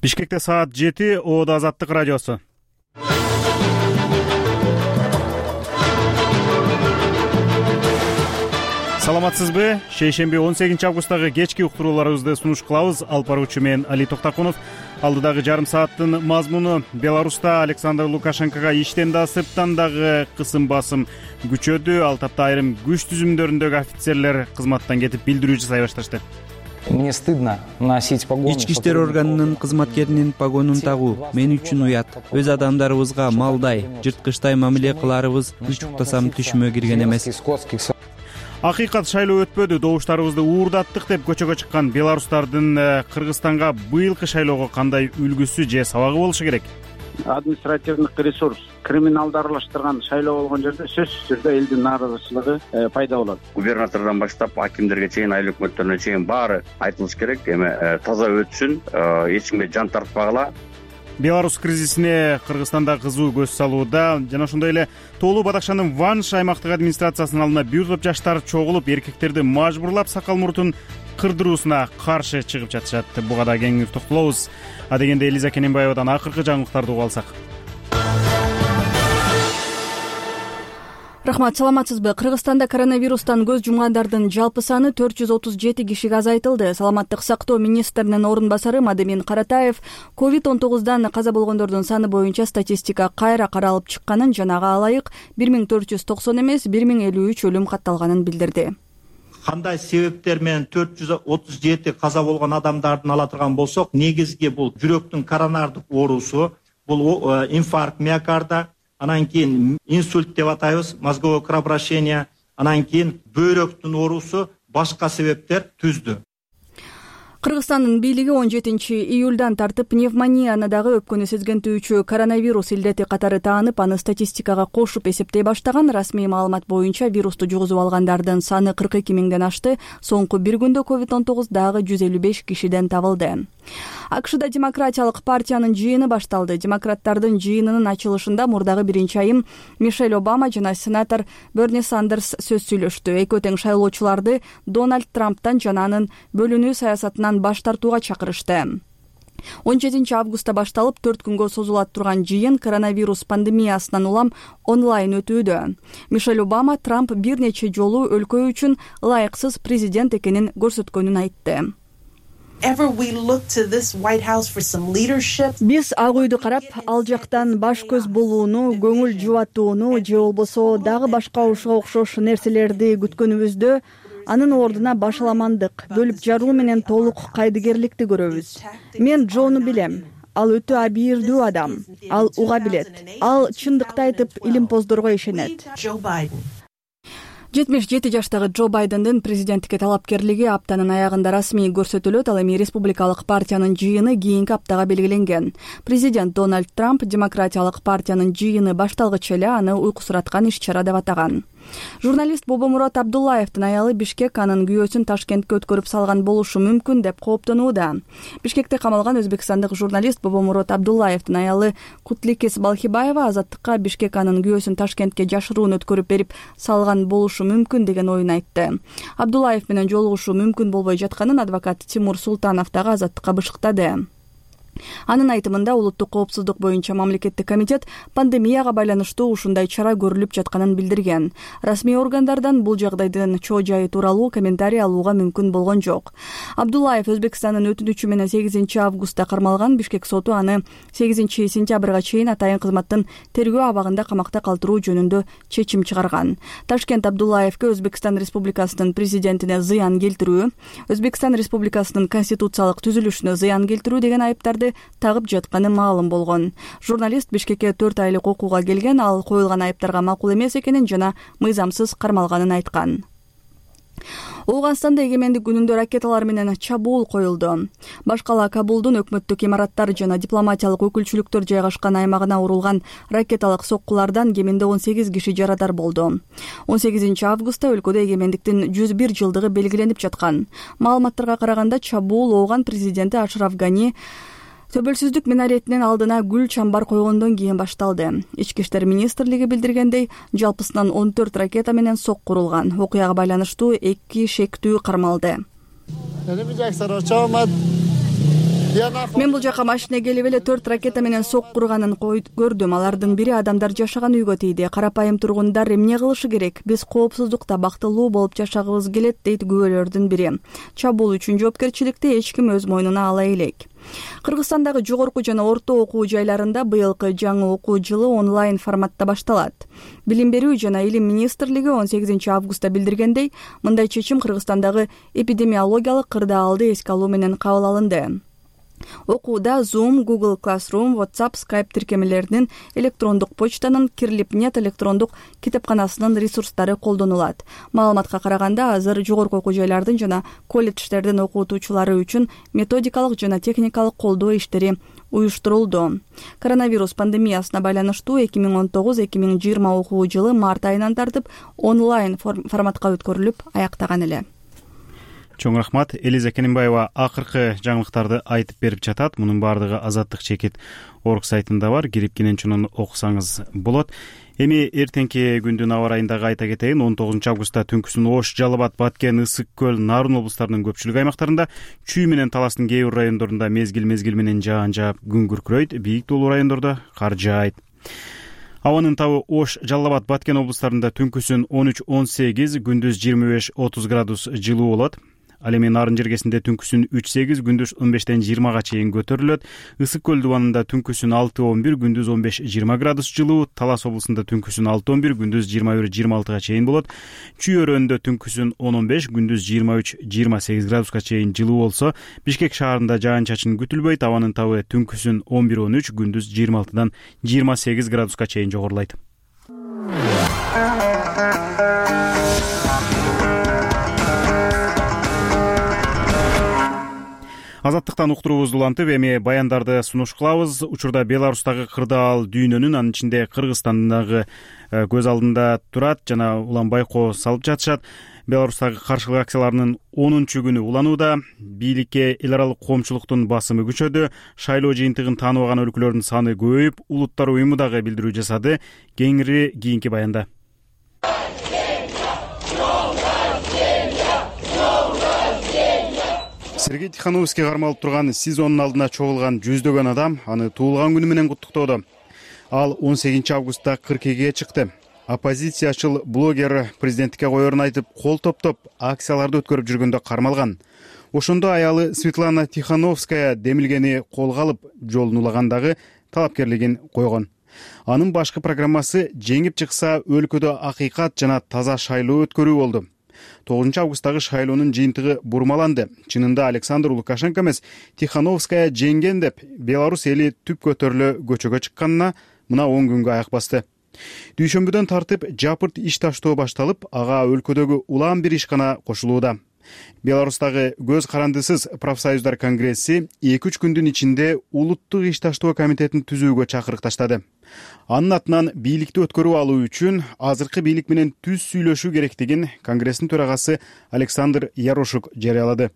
Бишкекте саат 7, Оодо Азаттык радиосу. Саламатсызбы? Шейшемби 18 августтагы кечки уктурууларыбызды сунуш кылабыз. Алып баруучу мен Али Токтакунов. Алдыдагы жарым сааттын мазмуну: Беларуста Александр Лукашенкого иштен да сырттан дагы кысым басым күчөдү. Ал тапта айрым күч түзүмдөрүндөгү офицерлер кызматтан кетип билдирүү жасай башташты. Мне стыдно носить погоны. Ички иштер органынын кызматкеринин погонун тагуу мен үчүн уят. Өз адамдарыбызга малдай, жырткычтай мамиле кыларыбыз үч уктасам түшүмө кирген эмес. Акыйкат шайлоо өтпөдү. Добуштарыбызды уурдаттык деп көчөгө чыккан беларустардын Кыргызстанга быйылкы шайлоого кандай үлгүсү же сабагы болушу керек? Административдик ресурс, криминалды аралаштырган шайлоо болгон жерде сөзсүз түрдө элдин нааразычылыгы пайда болот. Губернатордон баштап акимдерге чейин, айыл өкмөттөрүнө чейин баары айтылыш керек. Эми таза өтсүн, эч кимге жан тартпагыла. Беларус кризисине Кыргызстанда кызуу көз салууда. Жана ошондой эле Тоолуу Бадакшанын Ванш аймактык администрациясынын алдына бир топ жаштар чогулуп, эркектерди мажбурлап сакал муртун кырдыруусуна каршы чыгып жатышат. Буга да кеңири токтолобуз. Адегенде Элиза Кененбаевадан акыркы жаңылыктарды угуп алсак. Рахмат, саламатсызбы? Кыргызстанда коронавирустан көз жумгандардын жалпы саны 437 кишиге азайтылды. Саламаттык сактоо министринин орун басары Мадемин Каратаев COVID-19 каза болгондордун саны боюнча статистика кайра каралып чыкканын жана ага ылайык 1490 эмес 1053 өлүм катталганын билдирди. Кандай себептер менен 437 каза болгон адамдардын ала турган болсок, негизги бул жүрөктүн коронардык оорусу, бул инфаркт миокарда, анан кийин инсульт деп атайбыз, мозговое кровообращение, анан кийин бөйрөктүн оорусу, башка себептер түздү. Кыргызстандын бийлиги 17 июлдан тартып пневмонияны дагы өпкөнү сезгентүүчү коронавирус илдети катары таанып, аны статистикага кошуп эсептей баштаган. Расмий маалымат боюнча вирусту жугузуп алгандардын саны 42 миңден ашты. Соңку бир күндө COVID-19 дагы 155 кишиден табылды. АКШда демократиялык партиянын жыйыны башталды. Демократтардын жыйынынын ачылышында мурдагы биринчи айым Мишель Обама жана сенатор Берни Сандерс сөз сүйлөштү. Экөө тең шайлоочуларды Дональд Трамптан жана анын бөлүнүү саясатынан баш тартууга чакырышты. 17 августта башталып 4 күнгө созулат турган жыйын коронавирус пандемиясынан улам онлайн өтүүдө. Мишель Обама Трамп бир нече жолу өлкө үчүн ылайыксыз президент экенин көрсөткөнүн айтты. Биз Ак үйдү карап, ал жактан баш көз болууну, көңүл жубатууну же болбосо дагы башка ушуга окшош нерселерди күткөнүбүздө, анын ордуна башаламандык, бөлүп жаруу менен толук кайдыгерликти көрөбүз. Мен Джону билем. Ал өтө абийирдүү адам. Ал уга билет. Ал чындыкты айтып, илимпоздорго ишенет. 77 жаштагы Джо Байдендин президенттикке талапкерлиги аптанын аягында расмий көрсөтүлөт. Ал эми республикалык партиянын жыйыны кийинки аптага белгиленген. Президент Дональд Трамп демократиялык партиянын жыйыны башталгыча эле аны уйкусураткан иш-чара деп атаган. Журналист Бобомурод Абдуллаевдин аялы Бишкек анын күйөөсүн Ташкентке өткөрүп салган болушу мүмкүн деп кооптонууда. Бишкекте камалган өзбекстандык журналист Бобомурод Абдуллаевдин аялы Кутликес Балхибаева Азаттыкка Бишкек анын күйөөсүн Ташкентке жашыруун өткөрүп берип салган болушу мүмкүн деген оюн айтты. Абдуллаев менен жолугушуу мүмкүн болбой жатканын адвокат Тимур Султанов дагы Азаттыкка бышыктады. Анын айтымында улуттук коопсуздук боюнча мамлекеттик комитет пандемияга байланыштуу ушундай чара көрүлүп жатканын билдирген. Расмий органдардан бул жагдайдын чоо жайы тууралуу комментарий алууга мүмкүн болгон жок. Абдуллаев Өзбекстандын өтүнүчү менен 8 августта кармалган. Бишкек соту аны 8 сентябрга чейин атайын кызматтын тергөө абагында камакта калтыруу жөнүндө чечим чыгарган. Ташкент Абдуллаевке Өзбекстан Республикасынын президентине зыян келтирүү, Өзбекстан Республикасынын конституциялык түзүлүшүнө зыян келтирүү деген айыптарды тагып жатканы маалым болгон. Журналист Бишкекке 4 айлык окууга келген. Ал коюлган айыптарга макул эмес экенин жана мыйзамсыз кармалганын айткан. Ооганстанда эгемендик күнүндө ракеталар менен чабуул коюлду. Башкала Кабулдун өкмөттүк имараттар жана дипломатиялык өкүлчүлүктөр жайгашкан аймагына урулган ракеталык соккулардан кеминде 18 киши жарадар болду. 18 августта өлкөдө эгемендиктин 101 жылдыгы белгиленип жаткан. Маалыматтарга караганда чабуул Ооган президенти Ашраф Гани Төбөлсүздүк минаретинин алдына гүл чамбар койгондон кийин башталды. Ички иштер министрлиги билдиргендей, жалпысынан 14 ракета менен сок курулган. Окуяга байланыштуу 2 шектүү кармалды. Мен бул жака машина келип эле 4 ракета менен соккурганын көрдүм. Алардын бири адамдар жашаган үйгө тийди. Карапайым тургундар эмне кылышы керек? Биз коопсуздукта бактылуу болуп жашагыбыз келет, дейт күбөлөрдүн бири. Чабуул үчүн жоопкерчиликти эч ким өз мойнуна ала элек. Кыргызстандагы жогорку жана орто окуу жайларында быйылкы жаңы окуу жылы онлайн форматта башталат. Билим берүү жана илим министрлиги 18 августта билдиргендей, мындай чечим Кыргызстандагы эпидемиологиялык кырдаалды эске алуу менен кабыл алынды. Окууда Zoom, Google Classroom, WhatsApp, Skype тиркемелеринин, электрондук почтанын, Кирлипнет электрондук китепканасынын ресурстары колдонулат. Маалыматка караганда, азыр жогорку окуу жайлардын жана колледждердин окутуучулары үчүн методикалык жана техникалык колдоо иштери уюштурулду. Коронавирус пандемиясына байланыштуу 2019-2020 окуу жылы март айынан тартып онлайн форматка өткөрүлүп аяктаган эле. Чоң рахмат. Элиза Кененбаева акыркы жаңылыктарды айтып берип жатат. Мунун баардыгы Азаттык чекит орг сайтында бар. Кирип кенен окусаңыз болот. Эми эртеңки күндүн аба ырайындагы айта кетейин. 19 августта түнкүсүн Ош, Жалал Абад, Баткен, Ысык көл, Нарын облустарынын көпчүлүк аймактарында, Чүй менен Таластын кээ бир райондорунда мезгил менен жаан жаап күн күркүрөйт. Бийик тоолуу райондордо кар жаайт. Абанын табы Ош, Жалал Абад, Баткен облустарында түнкүсүн 13-18, күндүз 25-30 градус жылуу болот. Ал эми Нарын жергесинде түнкүсүн 3-8, күндүз 15-20 чейин көтөрүлөт. Ысык көл дубанында түнкүсүн 6-11, күндүз 15-20 градус жылуу. Талас облусунда түнкүсүн 6-11, күндүз 21-26 чейин болот. Чүй өрөөнүндө түнкүсүн 10-15, күндүз 23-28 градуска чейин жылуу болсо, Бишкек шаарында жаан-чачын күтүлбөйт. Абанын табы түнкүсүн 11-13, күндүз 26-28 градуска чейин жогорулайт. Азаттыктан уктуруубузду улантып, эми баяндарды сунуш кылабыз. Учурда Беларустагы кырдаал дүйнөнүн, анын ичинде Кыргызстандагы көз алдында турат жана улам байкоо салып жатышат. Беларустагы каршылык акцияларынын 10-күнү уланууда. Бийликке эл аралык коомчулуктун басымы күчөдү. Шайлоо жыйынтыгын тааныбаган өлкөлөрдүн саны көбөйүп, Улуттар уюму дагы билдирүү жасады. Кеңири кийинки баянда. Сергей Тихановский кармалып турган СИЗОнун алдына чогулган жүздөгөн адам аны туулган күнү менен куттуктоодо. Ал 18 августта 42-ге чыкты. Оппозициячыл блогер президенттикке коерун айтып, кол топтоп, акцияларды өткөрүп жүргөндө кармалган. Ошондо аялы Светлана Тихановская демилгени колго алып, жолун улагандагы талапкерлигин койгон. Анын башкы программасы жеңип чыкса өлкөдө акыйкат жана таза шайлоо өткөрүү болду. 9 августтагы шайлоонун жыйынтыгы бурмаланды. Чынында Александр Лукашенко эмес, Тихановская жеңген деп Беларусь эли түп көтөрүлө көчөгө чыкканына мына 10 күнгө аяк басты. Дүйшөмбүдөн тартып жапырт иш таштоо башталып, ага өлкөдөгү улам бир ишкана кошулууда. Беларустагы көз карандысыз профсоюздар конгресси 2-3 күндүн ичинде улуттук иш таштоо комитетин түзүүгө чакырык таштады. Анын атынан бийликти өткөрүп алуу үчүн азыркы бийлик менен түз сүйлөшүү керектигин Конгресстин төрагасы Александр Ярошук жарыялады.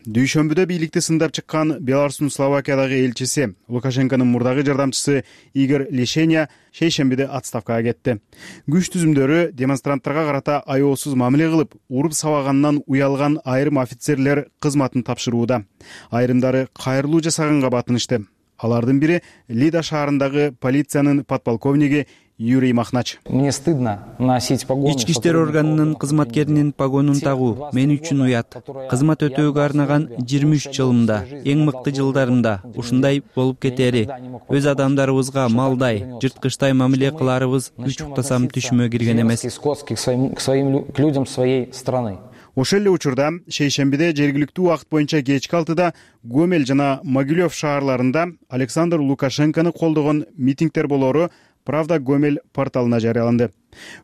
Дүйшөмбүдө бийликти сындап чыккан Беларустун Словакиядагы элчиси, Лукашенконун мурдагы жардамчысы Игорь Лишеня шейшембиде отставкага кетти. Күч түзүмдөрү демонстранттарга карата аеосуз мамиле кылып, уруп сабагандан уялган айрым офицерлер кызматын тапшырууда. Айрымдары кайрылуу жасаганга батынышты. Алардын бири Лида шаарындагы полициянын подполковниги Юрий Махнач. Мне стыдно носить погоны. Ички иштер органынын кызматкеринин погонун тагуу мен үчүн уят. Кызмат өтөөгө арнаган 23 жылымда, эң мыкты жылдарымда ушундай болуп кетери. Өз адамдарыбызга малдай, жырткычтай мамиле кыларыбыз үч уктасам түшүмө кирген эмес. К своим людям своей страны. Ошол эле учурда шейшембиде жергиликтүү убакыт боюнча кечки 6-да Гомель жана Могилев шаарларында Александр Лукашенкону колдогон митингдер болоору Правда Гомель порталына жарыяланды.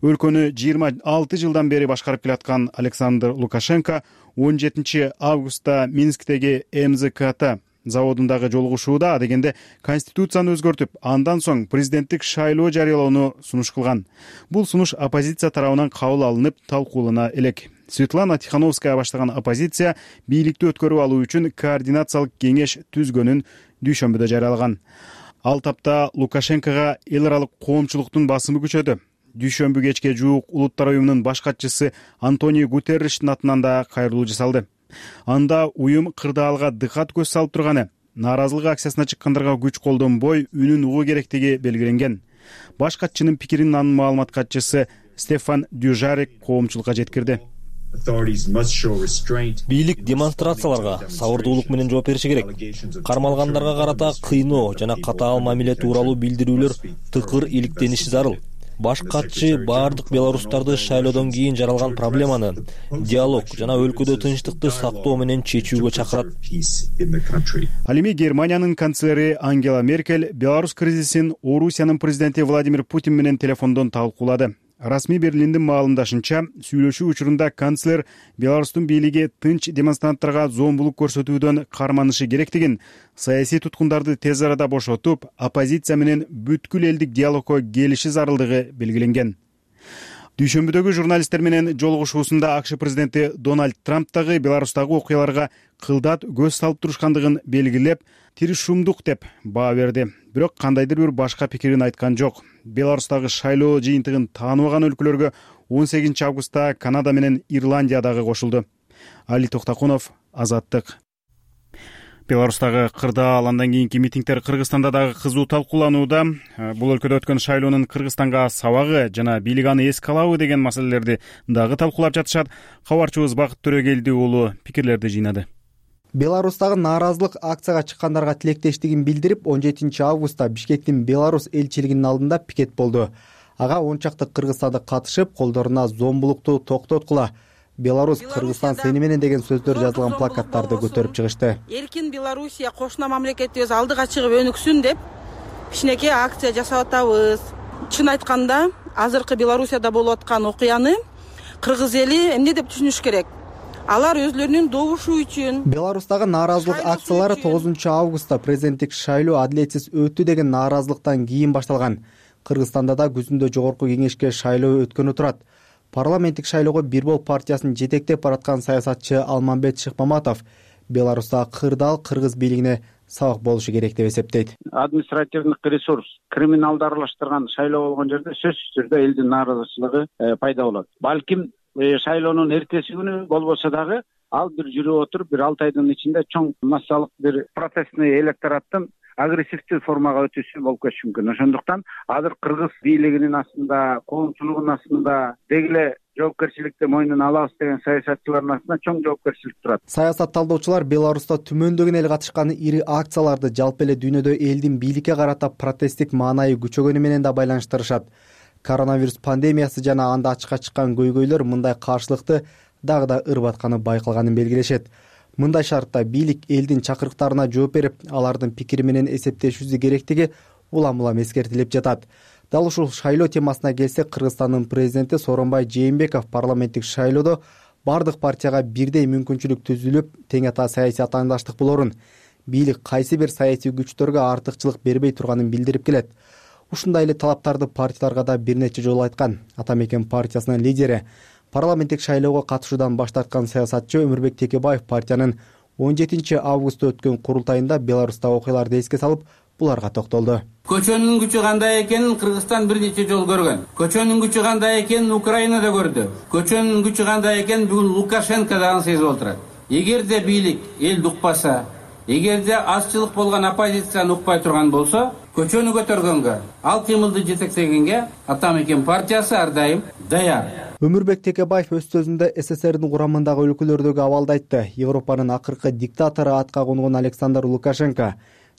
Өлкөнү 26 жылдан бери башкарып келаткан Александр Лукашенко 17 августта Минсктеги МЗКТ заводундагы жолугушууда адегенде конституцияны өзгөртүп, андан соң президенттик шайлоо жарыялоону сунуш кылган. Бул сунуш оппозиция тарабынан кабыл алынып, талкуулана элек. Светлана Тихановская баштаган оппозиция бийликти өткөрүп алуу үчүн координациялык кеңеш түзгөнүн дүйшөмбүдө жарыялаган. Ал тапта Лукашенкога эл аралык коомчулуктун басымы күчөдү. Дүйшөмбү кечке жуук Улуттар уюмунун баш катчысы Антонио Гутерриштин атынан да кайрылуу жасалды. Анда уюм кырдаалга дыкат көз салып турганы, нааразылык акциясына чыккандарга күч колдонбой үнүн угуу керектиги белгиленген. Баш катчынын пикирин анын маалымат катчысы Стефан Дюжарек коомчулукка жеткирди. Бийлик демонстрацияларга сабырдуулук менен жооп бериши керек. Кармалгандарга карата кыйноо жана катаал мамиле тууралуу билдирүүлөр тыкыр иликтениши зарыл. Баш катчы баардык белорустарды шайлоодон кийин жаралган проблеманы диалог жана өлкөдө тынчтыкты сактоо менен чечүүгө чакырат. Ал эми Германиянын канцлери Ангела Меркель Беларусь кризисин Орусиянын президенти Владимир Путин менен телефондон талкуулады. Расмий Берлиндин маалымдашынча, сүйлөшүү учурунда канцлер Беларустун бийлиги тынч демонстранттарга зомбулук көрсөтүүдөн карманышы керектигин, саясий туткундарды тез арада бошотуп, оппозиция менен бүткүл элдик диалогко келиши зарылдыгы белгиленген. Дүйшөмбүдөгү журналисттер менен жолугушуусунда АКШ президенти Дональд Трамп дагы Беларустагы окуяларга кылдат көз салып турушкандыгын белгилеп, тиришумдук деп баа берди. Бирок кандайдыр бир башка пикирин айткан жок. Беларустагы шайлоо жыйынтыгын тааныбаган өлкөлөргө 18 августта Канада менен Ирландия дагы кошулду. Али Токтакунов, Азаттык. Беларустагы кырдаал андан кийинки митингдер Кыргызстанда дагы кызуу талкууланууда. Бул өлкөдө өткөн шайлоонун Кыргызстанга сабагы жана бийлик аны эске алабы деген маселелерди дагы талкуулап жатышат. Кабарчыбыз Бакыт Төрөгелди уулу пикирлерди жыйнады. Беларустагы нааразылык акцияга чыккандарга тилектештигин билдирип, 17 августта Бишкектин Беларусь элчилигинин алдында пикет болду. Ага 10 чакты кыргызстандык катышып, колдоруна зомбулукту токтоткула, Беларусь Кыргызстан сени менен деген сөздөр жазылган плакаттарды көтөрүп чыгышты. Эркин Белоруссия кошуна мамлекетибиз алдыга чыгып өнүксүн деп кичинекей акция жасап атабыз. Чын айтканда, азыркы Белоруссияда болуп аткан окуяны кыргыз эли эмне деп түшүнүш керек? Алар өзлөрүнүн добушу үчүн. Беларустагы нааразылык акциялары 9 августта президенттик шайлоо адилетсиз өттү деген нааразылыктан кийин башталган. Кыргызстанда да күзүндө жогорку кеңешке шайлоо өткөнү турат. Парламенттик шайлоого Бир Бол партиясын жетектеп бараткан саясатчы Алмамбет Шыкмаматов Беларустагы кырдаал кыргыз бийлигине сабак болушу керек деп эсептейт. Административдик ресурс, криминалды аралаштырган шайлоо болгон жерде сөзсүз түрдө элдин нааразычылыгы пайда болот. Балким шайлоонун эртеси күнү болбосо дагы ал бир жүрүп отуруп, бир 6 айдын ичинде чоң массалык бир протестный электораттын агрессивдүү формага өтүүсү болуп кетиши мүмкүн. Ошондуктан азыр кыргыз бийлигинин астында, коомчулугунун астында дегеле жоопкерчиликти мойнуна алабыз деген саясатчылардын астында чоң жоопкерчилик турат. Саясат талдоочулар Беларуста түмөндөгөн эл катышкан ири акцияларды жалпы эле дүйнөдө элдин бийликке карата протесттик маанайы күчөгөнү менен да байланыштырышат. Коронавирус пандемиясы жана анда ачыкка чыккан көйгөйлөр мындай каршылыкты дагы да ырбатканы байкалганын белгилешет. Мындай шартта бийлик элдин чакырыктарына жооп берип, алардын пикири менен эсептешүүсү керектиги улам-улам эскертилип жатат. Дал ушул шайлоо темасына келсек, Кыргызстандын президенти Сооронбай Жээнбеков парламенттик шайлоодо бардык партияга бирдей мүмкүнчүлүк түзүлүп, тең ата саясий атаандаштык болорун, бийлик кайсы бир саясий күчтөргө артыкчылык бербей турганын билдирип келет. Ушундай эле талаптарды партияларга да бир нече жолу айткан. Ата Мекен партиясынын лидери, парламенттик шайлоого катышуудан баш тарткан саясатчы Өмүрбек Текебаев партиянын 17 августта өткөн курултайында Беларустагы окуяларды эске салып, буларга токтолду. Көчөнүн күчү кандай экенин Кыргызстан бир нече жолу көргөн. Көчөнүн күчү кандай экенин Украинада көрдү. Көчөнүн күчү кандай экенин бүгүн Лукашенко дагы сезип отурат. Эгерде бийлик элди укпаса, эгерде азчылык болгон оппозицияны укпай турган болсо, көчөнү көтөргөнгө, ал кыймылды жетектегенге Ата Мекен партиясы ар дайым даяр. Өмүрбек Текебаев өз сөзүндө СССРдин курамындагы өлкөлөрдөгү абалды айтты. Европанын акыркы диктатору атка конгон Александр Лукашенко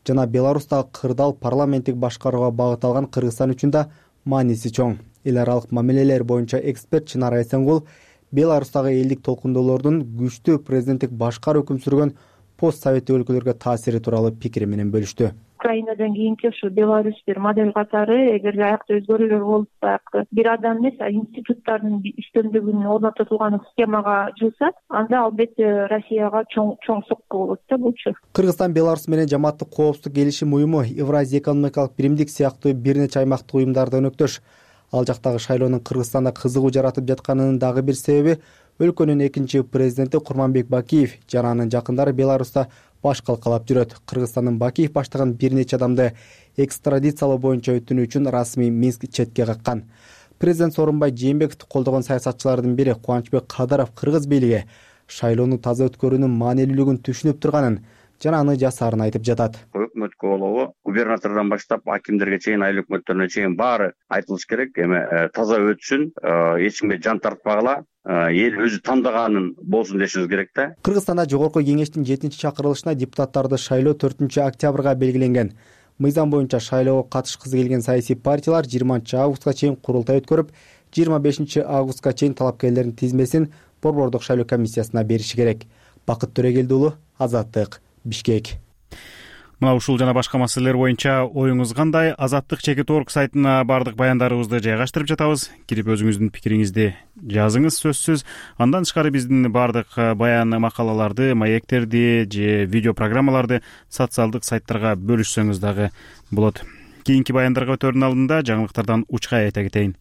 жана Беларустагы кырдаал парламенттик башкарууга багытталган Кыргызстан үчүн да мааниси чоң. Эл аралык мамилелер боюнча эксперт Чынар Айсенгул Беларустагы элдик толкундоолордун күчтүү президенттик башкаруу өкүм сүргөн пост советтик өлкөлөргө таасири тууралуу пикири менен бөлүштү. Украинадан кийинки ушу Беларусь бир модель катары, эгерде аякта өзгөрүүлөр болуп, бир адам эмес, институттардын үстөмдүгүн орното турган схемага жылса, анда албетте Россияга чоң сокку болот да булчу. Кыргызстан Беларусь менен жамааттык коопсуздук келишим уюму, Евразия экономикалык биримдик сыяктуу бир нече аймактык уюмдарда өнөктөш. Ал жактагы шайлоонун Кыргызстанда кызыгуу жаратып жатканынын дагы бир себеби өлкөнүн экинчи президенти Курманбек Бакиев жана анын жакындары Беларуста баш калкалап жүрөт. Кыргызстандын Бакиев баштаган бир нече адамды экстрадициялоо боюнча өтүнүү үчүн расмий Минск четке каккан. Президент Сооронбай Жээнбековду колдогон саясатчылардын бири Кубанычбек Кадыров кыргыз бийлиги шайлоону таза өткөрүүнүн маанилүүлүгүн түшүнүп турганын жана аны жасаарын айтып жатат. Өкмөткө болобу, губернатордон баштап акимдерге чейин, айыл өкмөттөрүнө чейин баары айтылыш керек. Эми таза өтсүн, эч кимге жан тартпагыла, эл өзү тандаганын болсун дешибиз керек да. Кыргызстанда жогорку кеңештин 7-чакырылышына депутаттарды шайлоо 4-октябрга белгиленген. Мыйзам боюнча шайлоого катышкысы келген саясий партиялар 20-августка чейин курултай өткөрүп, 25-августка чейин талапкерлердин тизмесин Борбордук шайлоо комиссиясына бериши керек. Бакыт Төрөгелди уулу, Азаттык, Бишкек. Мына ушул жана башка маселелер боюнча оюңуз кандай? Azattik.org сайтына бардык баяндарыбызды жайгаштырып жатабыз. Кирип өзүңүздүн пикириңизди жазыңыз сөзсүз. Андан тышкары биздин бардык баян макалаларды, маектерди же видео программаларды социалдык сайттарга бөлүшсөңүз дагы болот. Кийинки баяндарга өтөрдүн алдында жаңылыктардан учкай айта кетейин.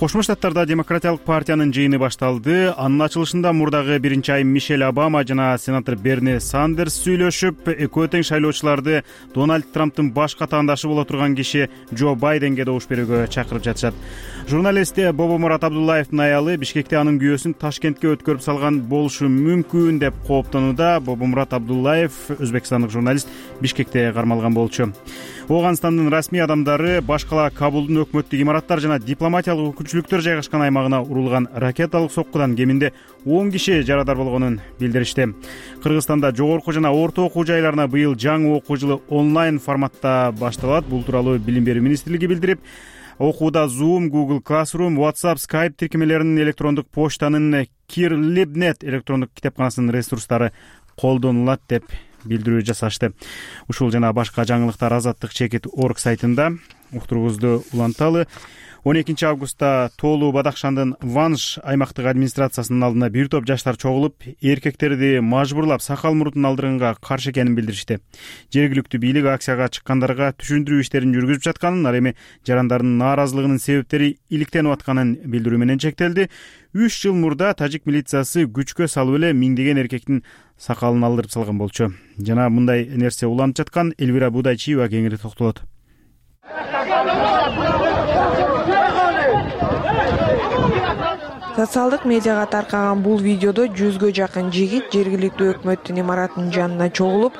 Кошмо Штаттарда Демократиялык партиянын жыйыны башталды. Анын ачылышында мурдагы биринчи айым Мишель Обама жана сенатор Берни Сандерс сүйлөшүп, экөө тең шайлоочуларды Дональд Трамптын баш катаандашы боло турган киши Джо Байденге добуш берүүгө чакырып жатышат. Журналист Бобомурат Абдуллаевдин аялы Бишкекте анын күйөөсүн Ташкентке өткөрүп салган болушу мүмкүн деп кооптонууда. Бобомурат Абдуллаев, өзбекстандык журналист, Бишкекте кармалган болчу. Ооганстандын расмий адамдары баш кала Кабулдун өкмөттүк имараттар жана дипломатиялык өкүлчүлүктөр жайгашкан аймагына урулган ракеталык соккудан кеминде 10 киши жарадар болгонун билдиришти. Кыргызстанда жогорку жана орто окуу жайларына быйыл жаңы окуу жылы онлайн форматта башталат. Бул тууралуу Билим берүү министрлиги билдирип, окууда Zoom, Google Classroom, WhatsApp, Skype тиркемелеринин, электрондук почтанын, Kirlibnet электрондук китепканасынын ресурстары колдонулат деп билдирүү жасашты. Ушул жана башка жаңылыктар Azattik.org сайтында. Уктуруңузду уланталы. 12 августта Тоолу Бадахшандын Ванш аймактык администрациясынын алдына бир топ жаштар чогулуп, эркектерди мажбурлап сакал мурутун алдырганга каршы экенин билдиришти. Жергиликтүү бийлик акцияга чыккандарга түшүндүрүү иштерин жүргүзүп жатканын, ал эми жарандардын нааразылыгынын себептери иликтенип атканын билдирүү менен чектелди. 3 жыл мурда тажик милициясы күчкө салып эле миңдеген эркектин сакалын алдырып салган болчу. Жана мындай нерсе уланып жаткан Элвира Будайчиева кеңири токтолот. Социалдык медиага таркаган бул видеодо 100гө жакын жигит жергиликтүү өкмөттүн имаратынын жанына чогулуп,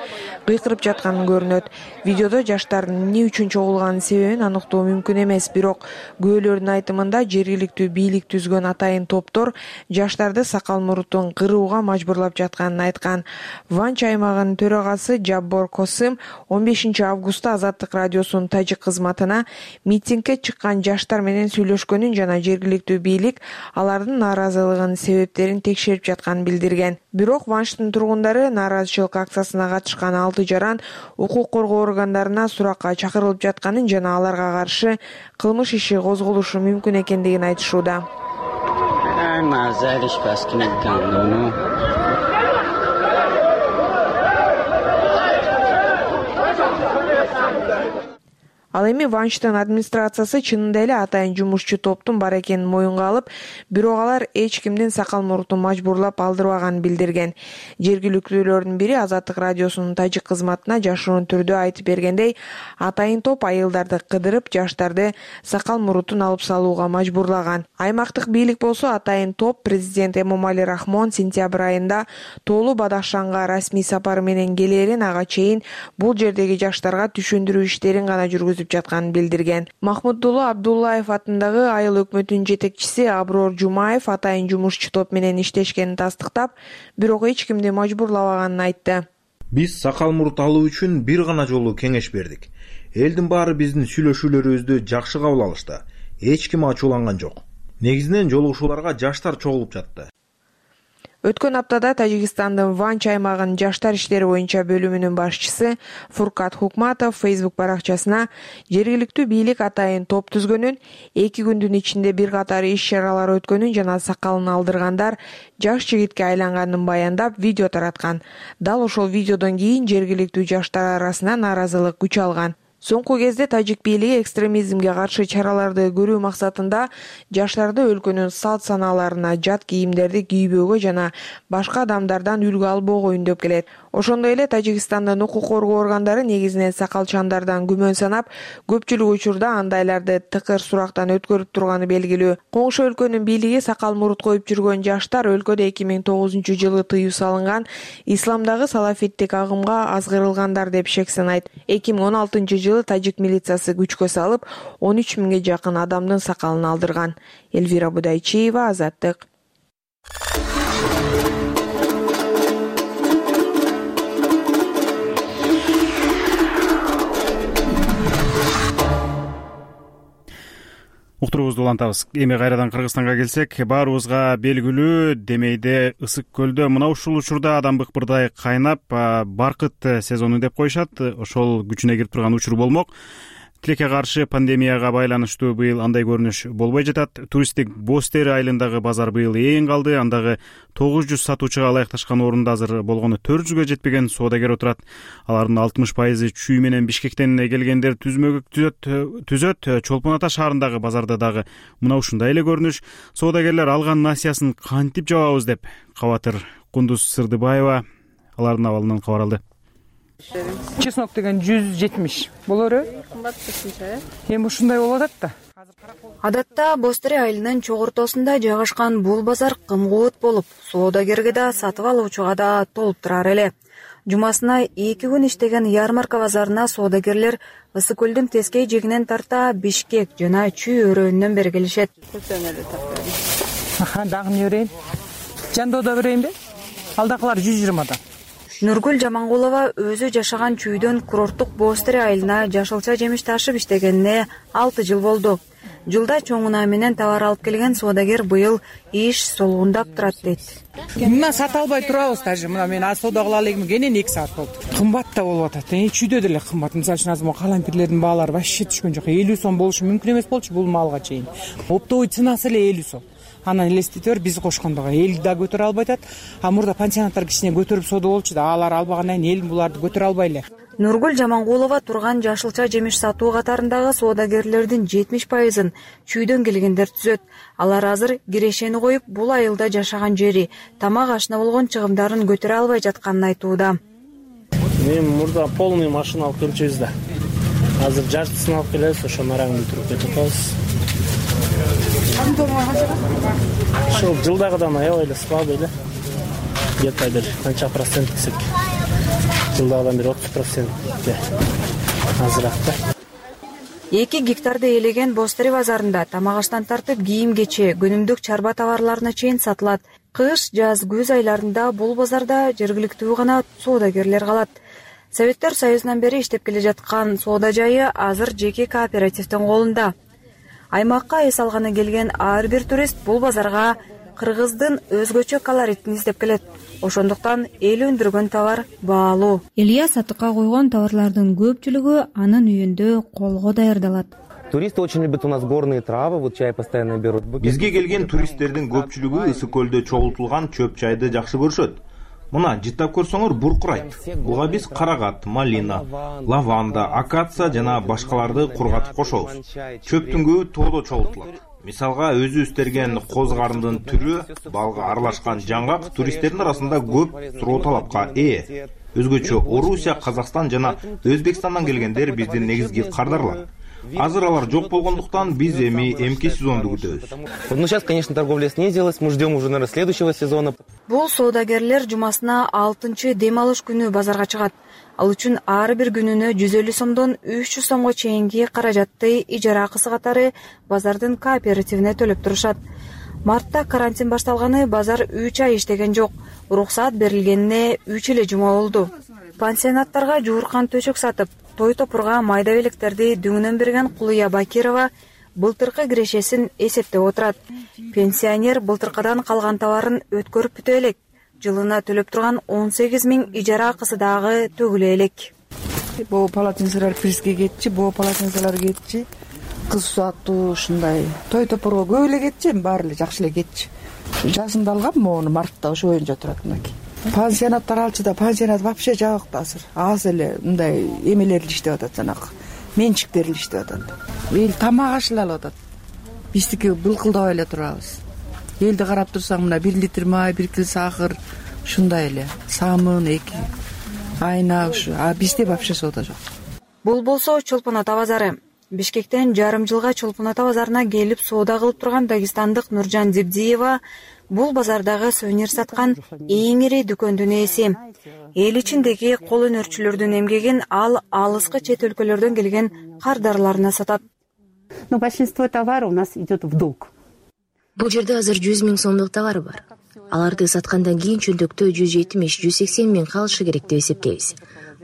кыйкырып жатканы көрүнөт. Видеодо жаштардын эмне үчүн чогулганын себебин аныктоо мүмкүн эмес, бирок күбөлөрдүн айтымында жергиликтүү бийлик түзгөн атайын топтор жаштарды сакал мурутун кырууга мажбурлап жатканын айткан. Ванч аймагынын төрагасы Жаббор Косым 15 августта Азаттык радиосунун тажик кызматына митингге чыккан жаштар менен сүйлөшкөнүн жана жергиликтүү бийлик алардын нааразылыгынын себептерин текшерип жатканын билдирген. Бирок Ванштын тургундары нааразычылык акциясына катышкан 6 жаран укук коргоо органдарына суракка чакырылып жатканын жана аларга каршы кылмыш иши козголушу мүмкүн экендигин айтышууда. Ал эми Ванштын администрациясы чынында эле атайын жумушчу топтун бар экенин моюнга алып, бирок алар эч кимдин сакал мурутун мажбурлап алдырбаганын билдирген. Жергиликтүүлөрдүн бири Азаттык радиосунун тажик кызматына жашыруун түрдө айтып бергендей, атайын топ айылдарды кыдырып, жаштарды сакал мурутун алып салууга мажбурлаган. Аймактык бийлик болсо атайын топ президент Эмомали Рахмон сентябрь айында Тоолу Бадахшанга расмий сапары менен келерин, ага чейин бул жердеги жаштарга түшүндүрүү иштерин гана жүргүзүп жатканын билдирген. Махмудулла Абдуллаев атындагы айыл өкмөтүнүн жетекчиси Аброр Жумаев атайын жумушчу топ менен иштешкенин тастыктап, бирок эч кимди мажбурлабаганын айтты. Биз сакал мурут алуу үчүн бир гана жолу кеңеш бердик. Элдин баары биздин сүйлөшүүлөрүбүздү жакшы кабыл алышты. Эч ким ачууланган жок. Негизинен жолугушууларга жаштар чогулуп жатты. Өткөн аптада Тажикстандын Ванч аймагынын жаштар иштери боюнча бөлүмүнүн башчысы Фуркат Хукматов Facebook баракчасына жергиликтүү бийлик атайын топ түзгөнүн, 2 күндүн ичинде бир катар иш-чаралар өткөнүн жана сакалын алдыргандар жаш жигитке айланганын баяндап видео тараткан. Дал ошол видеодон кийин жергиликтүү жаштар арасында нааразылык күч алган. Соңку кезде тажик бийлиги экстремизмге каршы чараларды көрүү максатында жаштарды өлкөнүн салт санааларына жат кийимдерди кийбөөгө жана башка адамдардан үлгү албоого үндөп келет. Ошондой эле Тажикстандын укук коргоо органдары негизинен сакалчандардан күмөн санап, көпчүлүк учурда андайларды тыкыр сурактан өткөрүп турганы белгилүү. Коңшу өлкөнүн бийлиги сакал мурут коюп жүргөн жаштар өлкөдө 2009-жылы тыюу салынган исламдагы салафиттик агымга азгырылгандар деп шек санайт. 2016-жылы тажик милициясы күчкө салып, 13 миңге жакын адамдын сакалын алдырган. Элвира Будайчиева, Азаттык. Уктуруубузду улантабыз. Эми кайрадан Кыргызстанга келсек, баарыбызга белгилүү Демейде ысык көлдө мына ушул учурда адам быкпырдай кайнап, баркыт сезону деп коюшат. Ошол күчүнө кирип турган учур болмок. Тилекке каршы пандемияга байланыштуу быйыл андай көрүнүш болбой жатат. Туристтик Боз Тери айылындагы базар быйыл эң калды. Андагы 900 сатуучуга ылайыкташкан орунда азыр болгону 400гө жетпеген соодагер отурат. Алардын 60% чүй менен Бишкектен келгендер түзмөгү түзөт. Чолпон Ата шаарындагы базарда дагы мына ушундай эле көрүнүш. Соодагерлер алган насыясын кантип жабабыз деп Кабатыр Кундуз Сырдыбаева алардын абалынан кабар алды. Чеснок деген 170 болору. Кымбат кошумча. Эми ушундай болуп атат да. Адатта Боз Тери айылынын чогуртосунда жайгашкан бул базар кымгуут болуп, соодагерге да сатып алуучуга да толуп турар эле. Жумасына 2 күн иштеген ярмарка базарына соодагерлер Ысык көлдүн тескей жигинен тарта Бишкек жана Чүй өрөөнүнөн бери келишет. Дагы эмне берейин? Жандоодо берейинби? Алдакылар 120 Нургүл Жамангулова өзү жашаган Чүйдөн курорттук Боз Тери айылына жашылча жемиш ташып иштегенине 6 жыл болду. Жылда чоңуна менен товар алып келген соодагер быйыл иш солугундап турат дейт. Мына сата албай турабыз даже. Мына мен соода кыла элегим кенен 2 саат болду. Кымбат да болуп атат. Чүйдө деле кымбат. Мисалы үчүн азыр калампирлердин баалары вообще түшкөн жок. 50 сом болушу мүмкүн эмес болчу бул малга чейин. Оптовый ценасы эле 50 сом. Анан элестетер биз кошкондого эл да көтөрө албай атат. Мурда пансионаттар кичине көтөрүп соода болчу да, алар албагандан кийин эл буларды көтөрө албай эле. Нургүл Жамангулова турган жашылча жемиш сатуу катарындагы соодагерлердин 70%ын Чүйдөн келгендер түзөт. Алар азыр кирешени коюп, бул айылда жашаган жери, тамак ашына болгон чыгымдарын көтөрө албай жатканын айтууда. Мен мурда полный машина алып келчүбүз да. Азыр жартысын алып келебиз, ошону араңды туруп кетип атабыз. Ошол жылдагыдан аябай эле слабый эле. Где-то бир канча процент десек. Жылдагыдан бир 30% азыраак да. 2 гектарды ээлеген Боз Тери базарында тамак аштан тартып кийим-кече, көнүмдүк чарба товарларына чейин сатылат. Кыш, жаз, күз айларында бул базарда жергиликтүү гана соодагерлер калат. Советтер Союзунан бери иштеп келе жаткан соода жайы азыр жеке кооперативдин колунда. Аймакка эс алганы келген ар бир турист бул базарга кыргыздын өзгөчө колоритин издеп келет. Ошондуктан эл өндүргөн товар баалуу. Илья сатыкка койгон товарлардын көпчүлүгү анын үйүндө колго даярдалат. Туристы очень любят у нас горные травы, вот чай постоянно берут. Бизге келген туристтердин көпчүлүгү ысык көлдө чогултулган чөп чайды жакшы көрүшөт. Мына жыттап көрсөңөр буркурайт. Буга биз карагат, малина, лаванда, акация жана башкаларды кургатып кошобуз. Чөптүн көбү тоодо чогултулат. Мисалга өзү үстөргөн коз карындын түрү, балга аралашкан жаңгак туристтердин арасында көп суроо талапка ээ. Өзгөчө Орусия, Казакстан жана Өзбекстандан келгендер биздин негизги кардарлар. Азыр алар жок болгондуктан биз эмки сезонду күтөбүз. Ну сейчас, конечно, торговля снизилась, мы ждем уже, наверное, следующего сезона. Бул соодагерлер жумасына 6-чы дем алыш күнү базарга чыгат. Ал үчүн ар бир күнүнө 150 сомдон 300 сомго чейинки каражатты ижара акысы катары базардын кооперативине төлөп турушат. Мартта карантин башталганы базар 3 ай иштеген жок. Уруксаат берилгенине 3 эле жума болду. Пансионаттарга жууркан төшөк сатып, той топурга майда белектерди дүңүнөн берген Кулуя Бакирова былтыркы кирешесин эсептеп отурат. Пенсионер былтыркыдан калган товарын өткөрүп бүтө элек. Жылына төлөп турган 18 миң ижара акысы дагы төгүлө элек. Бул полотенцалар призге кетчи, бул полотенцалар кетчи. Кыз сааттуу ушундай той топурга көп эле кетчи, баары эле жакшы эле кетчи. Жазында алгам, мону мартта ошо боюнча турат мынакей. Пансионаттар алчу да пансионат вообще жок да азыр. Аз эле мындай эмелер иштеп атат, жанагы менчиктер иштеп атат. Эл тамак аш эле алып атат. Биздики былкылдабай эле турабыз. Элди карап турсаң, мына 1 литр май, 1 кил сахар, ушундай эле. Самын 2. айына ушу, а бизде вообще соода жок. Бул болсо Чолпон Ата базары. Бишкектен жарым жылга Чолпон Ата базарына келип соода кылып турган дагестандык Нуржан Зибдиева бул базардагы сувенир саткан эң ири дүкөндүн ээси. Эл ичиндеги кол өнөрчүлөрдүн эмгегин ал алыскы чет өлкөлөрдөн келген кардарларына сатат. Но большинство товара у нас идет в долг. Бул жерде азыр 100 000 сомдук товар бар. Аларды саткандан кийин чөндөктө 170-180 000 калышы керек деп эсептейбиз.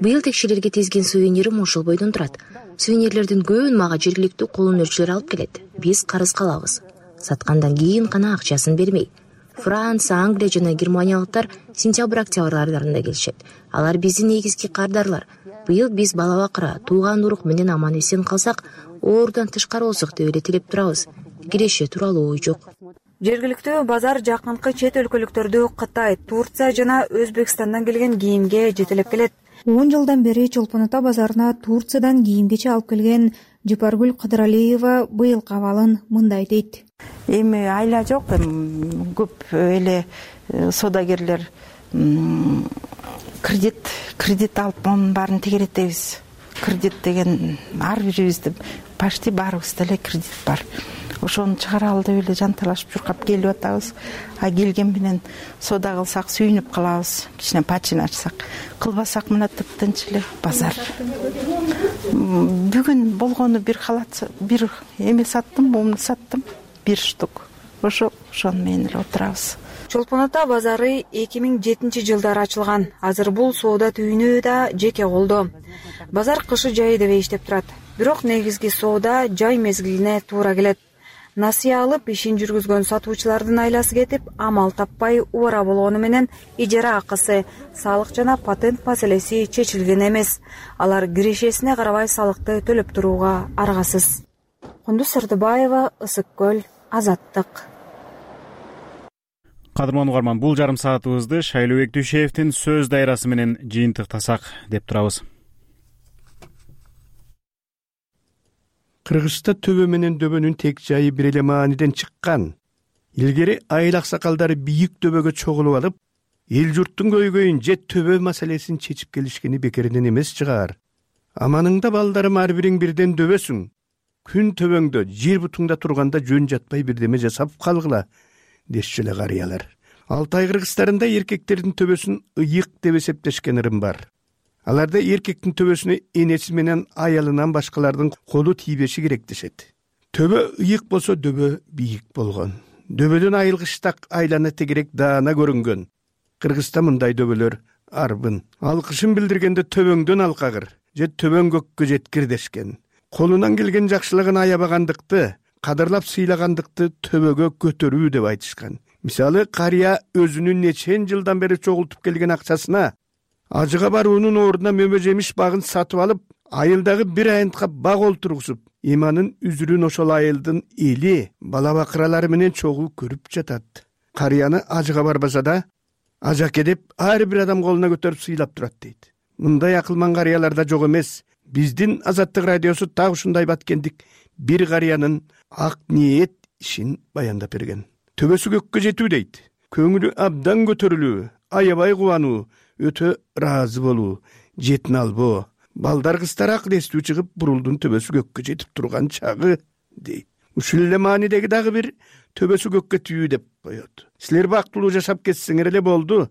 Быйыл текшерерге тизген сувенирим ошол бойдон турат. Сувенирлердин көбүн мага жергиликтүү кол өнөрчүлөр алып келет. Биз карыз калабыз. Саткандан кийин гана акчасын бермей. Франция, Англия жана германиялыктар сентябрь-октябрь айларында келишет. Алар биздин негизги кардарлар. Быйыл биз бала бакыра, тууган урук менен аман эсен калсак, оорудан тышкары болсок деп эле тилеп турабыз. Киреше тууралуу ой жок. Жергиликтүү базар жакынкы чет өлкөлүктөрдү Кытай, Турция жана Өзбекстандан келген кийимге жетелеп келет. 10 жылдан бери Чолпон Ата базарына Турциядан кийим-кече алып келген Жыпаргүл Кыдыралиева быйылкы абалын мындай дейт. Эми айла жок, көп эле соодагерлер кредит алып монун баарын тегеретебиз. Кредит деген ар бирибизде почти баарыбызда эле кредит бар. Ошону чыгаралы деп эле жанталашып чуркап келип атабыз. А келген менен соода кылсак сүйүнүп калабыз. Кичине пачин ачсак, кылбасак мына тыптынч эле базар. Бүгүн болгону бир халат, бир эме саттым, муну саттым, 1 штук. Ошону менен эле отурабыз. Чолпон Ата базары 2007-жылдары ачылган. Азыр бул соода түйүнү да жеке колдо. Базар кышы жайы деп иштеп турат. Бирок негизги соода жай мезгилине туура келет. Насыя алып ишин жүргүзгөн сатуучулардын айласы кетип, амал таппай убара болгону менен ижара акысы, салык жана патент маселеси чечилген эмес. Алар кирешесине карабай салыкты төлөп турууга аргасыз. Кундуз Сырдыбаева, Ысык көл, Азаттык. Кадырман угарман, бул жарым саатыбызды Шайлообек Дүйшеевдин сөз дайрасы менен жыйынтыктасак деп турабыз. Кыргызста төбө менен дөбөнүн тек жайы бир эле мааниден чыккан. Илгери айыл аксакалдары бийик дөбөгө чогулуп алып, эл журттун көйгөйүн же төбө маселесин чечип келишкени бекеринен эмес чыгар. Аманыңда балдарым ар бириң бирден дөбөсүң. Күн төбөңдө, жер бутуңда турганда жөн жатпай бирдеме жасап калгыла, дешчү эле карыялар. Алтай кыргыздарында эркектердин төбөсүн ыйык деп эсептешкен ырым бар. Аларда эркектин төбөсүнө энеси менен аялынан башкалардын колу тийбеши керек дешет. Төбө ыйык болсо дөбө бийик болгон. Дөбөдөн айылгыштак айлана тегерек даана көрүнгөн. Кыргызда мындай дөбөлөр арбын. Алкышын билдиргенде төбөңдөн алкагыр же төбөң көккө жеткир дешкен. Колунан келген жакшылыгын аябагандыкты, кадырлап сыйлагандыкты төбөгө көтөрүү деп айтышкан. Мисалы, карыя өзүнүн нечен жылдан бери чогултуп келген акчасына ажыга баруунун ордуна мөмө жемиш багын сатып алып, айылдагы бир айынтка баг олтургузуп, иманын үзүрүн ошол айылдын эли, бала бакыралары менен чогуу көрүп жатат. Карыяны ажыга барбаса да, ажаке деп ар бир адам колуна көтөрүп сыйлап турат дейт. Мындай акылман карыяларда жок эмес. Биздин Азаттык радиосу так ушундай баткендик бир карыянын ак ниет ишин баяндап берген. Төбөсү көккө жетүү дейт. Көңүлү абдан көтөрүлүү, аябай кубануу, өтө ыраазы болуу, жетин албоо. Балдар кыздар акыл эстүү чыгып, бурулдун төбөсү көккө жетип турган чагы дейт. Ушул эле маанидеги дагы бир төбөсү көккө тийүү деп коет. Силер бактылуу жашап кетсеңер эле болду.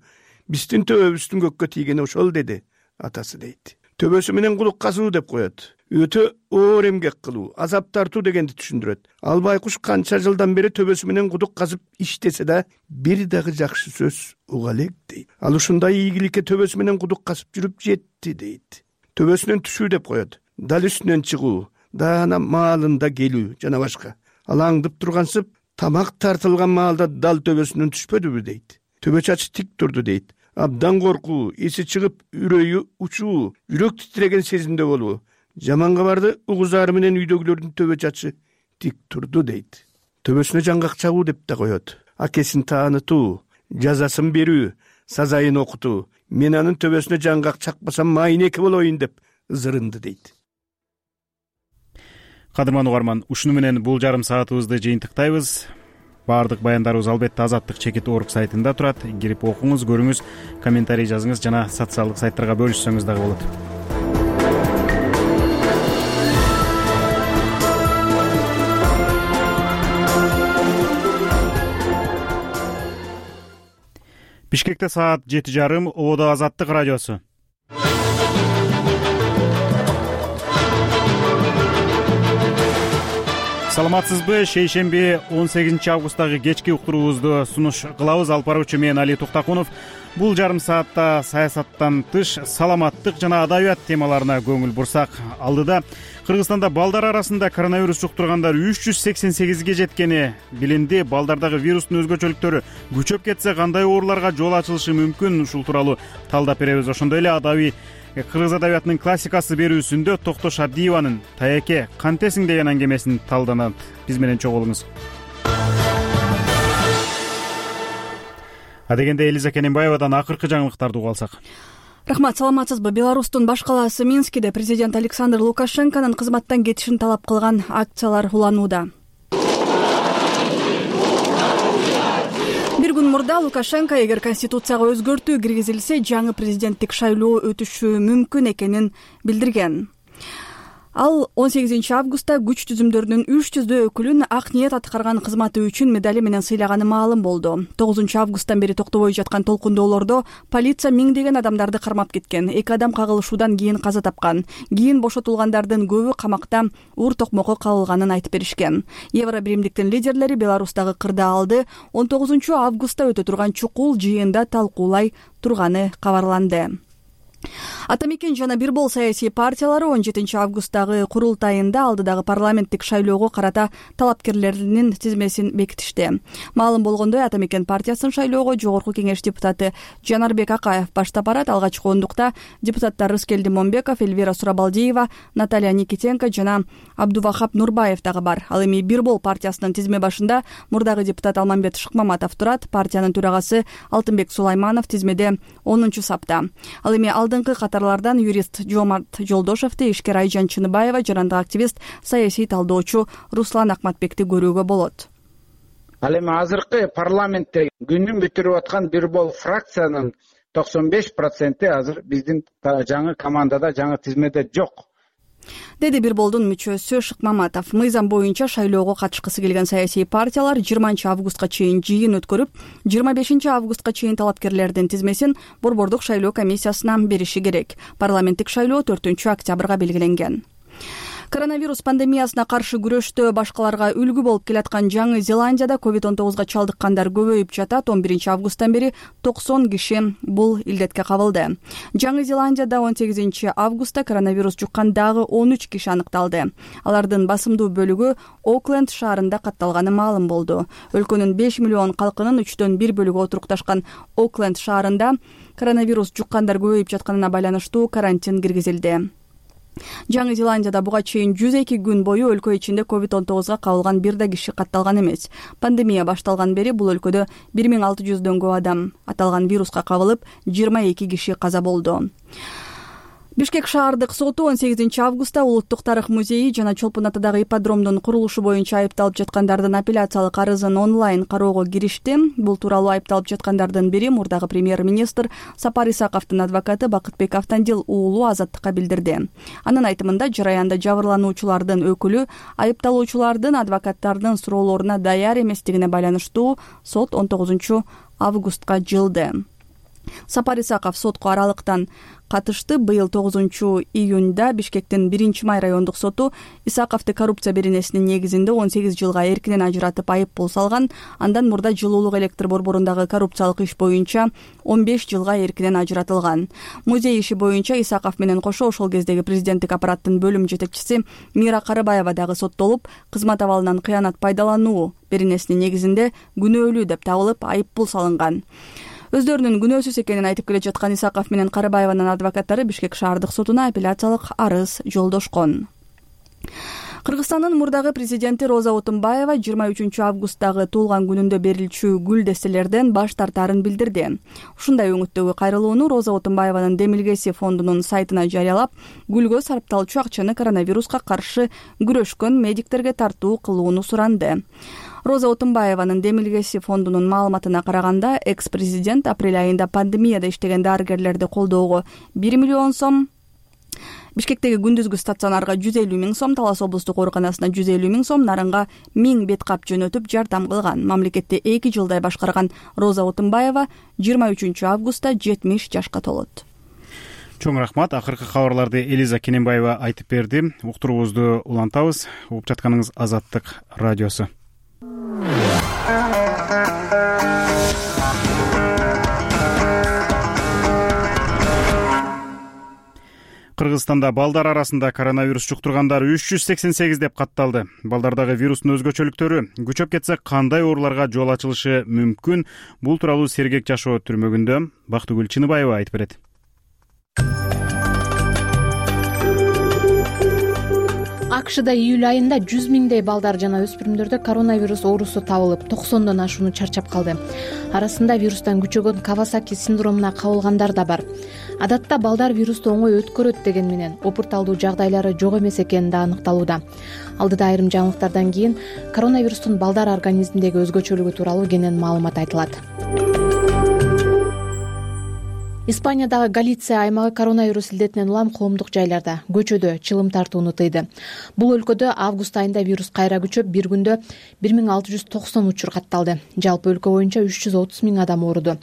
Биздин төбөбүздүн көккө тийгени ошол деди атасы дейт. Төбөсү менен кулук казуу деп коет. Өтө оор эмгек кылуу, азап тартуу дегенди түшүндүрөт. Ал байкуш канча жылдан бери төбөсү менен кудук казып иштесе да, бир дагы жакшы сөз уга элек дейт. Ал ушундай ийгиликке төбөсү менен кудук казып жүрүп жетти дейт. Төбөсүнөн түшүү деп коет. Дал үстүнөн чыгуу, даана маалында келүү жана башка. Ал аңдып тургансып, тамак тартылган маалда дал төбөсүнөн түшпөдүбү дейт. Төбө чачы тик турду дейт. Абдан коркуу, эси чыгып, үрөйү учуу, жүрөк титреген сезимде болуу. Жаман кабарды угузары менен үйдөгүлөрдүн төбө чачы тик турду дейт. Төбөсүнө жаңгак чагуу деп да коет. Акесин таанытуу, жазасын берүү, сазайын окутуу. Мен анын төбөсүнө жаңгак чакпасам майнеке болоюн деп ызырынды дейт. Кадырман угарман, ушуну менен бул жарым саатыбызды жыйынтыктайбыз. Баардык баяндарыбыз албетте Азаттык чекит орг сайтында турат. Кирип окуңуз, көрүңүз, комментарий жазыңыз жана социалдык сайттарга бөлүшсөңүз дагы болот. Бишкекте саат 7:30, Ободо Азаттык радиосу. Саламатсызбы? Шейшемби 18 августтагы кечки уктуруубузду сунуш кылабыз. Алып баруучу мен Али Токтакунов. Бул жарым саатта саясаттан тыш саламаттык жана адабият темаларына көңүл бурсак, алдыда Кыргызстанда балдар арасында коронавирус жуктургандар 388ге жеткени билинди. Балдардагы вирустун өзгөчөлүктөрү күчөп кетсе кандай ооруларга жол ачылышы мүмкүн? Ушул тууралуу талдап беребиз. Ошондой эле адабий кыргыз адабиятынын классикасы берүүсүндө Токтош Абдиеванын «Таяке, кантесиң» деген аңгемесин талданат. Биз менен чогуу болуңуз. Адегенде Элиза Кененбаевадан акыркы жаңылыктарды угуп алсак. Рахмат, саламатсызбы? Беларустун баш калаасы Минскиде президент Александр Лукашенконун кызматтан кетишин талап кылган акциялар уланууда. Бир күн мурда Лукашенко эгер конституцияга өзгөртүү киргизилсе, жаңы президенттик шайлоо өтүшү мүмкүн экенин билдирген. Ал 18 августта күч түзүмдөрүнүн 300 өкүлүн ак ниет аткарган кызматы үчүн медали менен сыйлаганы маалым болду. 9 августтан бери токтобой жаткан толкундоолордо полиция миңдеген адамдарды кармап кеткен. 2 адам кагылышуудан кийин каза тапкан. Кийин бошотулгандардын көбү камакта уур токмокко кабылганын айтып беришкен. Евро биримдиктин лидерлери Беларустагы кырдаалды 19 августта өтө турган чукул жыйында талкуулай турганы кабарланды. Атамекен жана бир бол саясий партиялары 17 августтагы курултайында алдыдагы парламенттик шайлоого карата талапкерлеринин тизмесин бекитишти. Маалым болгондой, Атамекен партиясынын шайлоого жогорку кеңеш депутаты Жанарбек Акаев баштап барат. Алгачкы ондукта депутаттар Рыскелди Момбеков, Эльвира Сурабалдиева, Наталья Никитенко жана Абдувахап Нурбаев дагы бар. Ал эми бир бол партиясынын тизме башында мурдагы депутат Алмамбет Шыкмаматов турат. Партиянын төрагасы Алтынбек Сулайманов тизмеде 10 сапта. Ал эми алдыңкы катарлардан юрист Жомарт Жолдошевди, ишкер Айжан Чыныбаева жана активист, саясий талдоочу Руслан Акматбекти көрүүгө болот. Ал эми азыркы парламентте күнүн бүтүрүп аткан бир бол фракциянын 95% азыр биздин жаңы командада, жаңы тизмеде жок, деди бир болдун мүчөсү Шыкмаматов. Мыйзам боюнча шайлоого катышкысы келген саясий партиялар 20 августка чейин жыйын өткөрүп, 25 августка чейин талапкерлердин тизмесин борбордук шайлоо комиссиясына бериши керек. Парламенттик шайлоо 4 октябрга белгиленген. Коронавирус пандемиясына каршы күрөштө башкаларга үлгү болуп келаткан Жаңы Зеландияда COVID-19 чалдыккандар көбөйүп жатат. 11 августтан бери 90 киши бул илдетке кабылды. Жаңы Зеландияда 18 августта коронавирус жуккан дагы 13 киши аныкталды. Алардын басымдуу бөлүгү Окленд шаарында катталганы маалым болду. Өлкөнүн 5 миллион калкынын 3/1 бөлүгү отурукташкан Окленд шаарында коронавирус жуккандар көбөйүп жатканына байланыштуу карантин киргизилди. Жаңы Зеландияда буга чейин 102 күн бою өлкө ичинде COVID-19 кабылган бир да киши катталган эмес. Пандемия башталган бери бул өлкөдө 1600 көп адам аталган вируска кабылып, 22 киши каза болду. Бишкек шаардык соту 18 августта Улуттук тарых музейи жана Чолпон атадагы ипподромдун курулушу боюнча айыпталып жаткандардын апелляциялык арызын онлайн кароого киришти. Бул тууралуу айыпталып жаткандардын бири мурдагы премьер-министр Сапар Исаковдун адвокаты Бакытбек Автандил уулу Азаттыкка билдирди. Анын айтымында жараянда жабырлануучулардын өкүлү айыпталуучулардын адвокаттардын суроолоруна даяр эместигине байланыштуу сот 19 августка жылды. Сапар Исаков сотко аралыктан катышты. Быйыл 9 июнда Бишкектин 1-май райондук соту Исаковду коррупция беренесинин негизинде 18 жылга эркинен ажыратып айып пул салган. Андан мурда жылуулук электр борборундагы коррупциялык иш боюнча 15 жылга эркинен ажыратылган. Музей иши боюнча Исаков менен кошо ошол кездеги президенттик аппараттын бөлүм жетекчиси Мира Карыбаева дагы соттолуп, кызмат абалынан кыянат пайдалануу беренесинин негизинде күнөөлүү деп табылып айып пул салынган. Өздөрүнүн күнөөсүз экенин айтып келе жаткан Исаков менен Карыбаеванын адвокаттары Бишкек шаардык сотуна апелляциялык арыз жолдошкон. Кыргызстандын мурдагы президенти Роза Отунбаева 23 августтагы туулган күнүндө берилчү гүл дестелерден баш тартаарын билдирди. Ушундай өңүттөгү кайрылууну Роза Отунбаеванын Демилгеси фондунун сайтына жарыялап, гүлгө сарпталчу акчаны коронавируска каршы күрөшкөн медиктерге тартуу кылууну суранды. Роза Отунбаеванын демилгеси фондунун маалыматына караганда, экс-президент апрель айында пандемияда иштеген дарыгерлерди колдоого 1 миллион сом, Бишкектеги күндүзгү стационарга 150 000 сом, Талас облустук ооруканасына 150 000 сом, Нарынга 1000 бет кап жөнөтүп жардам кылган. Мамлекетти 2 жылдай башкарган Роза Отунбаева 23 августта 70 жашка толот. Чоң рахмат. Акыркы кабарларды Элиза Кененбаева айтып берди. Уктуруубузду улантабыз. Угуп жатканыңыз Азаттык радиосу. Кыргызстанда балдар арасында коронавирус жуктургандар 388 деп катталды. Балдардагы вирустун өзгөчөлүктөрү күчөп кетсе кандай ооруларга жол ачылышы мүмкүн? Бул тууралуу Сергек жашоо түрмөгүндө Бактыгүл Чыныбаева айтып берет. АКШда июль айында 100 000дей балдар жана өспүрүмдөрдө коронавирус оорусу табылып, 90дон ашууну чарчап калды. Арасында вирустан күчөгөн Кавасаки синдромуна кабылгандар да бар. Адатта балдар вирусту оңой өткөрөт деген менен опурталдуу жагдайлары жок эмес экени да аныкталууда. Алдыда айрым жаңылыктардан кийин коронавирустун балдар организминдеги өзгөчөлүгү тууралуу кенен маалымат айтылат. Испаниядагы Галиция аймагы коронавирус илдетинен улам коомдук жайларда, көчөдө чылым тартууну тыйды. Бул өлкөдө август айында вирус кайра күчөп, бир күндө 1690 учур катталды. Жалпы өлкө боюнча 330 000 адам ооруду.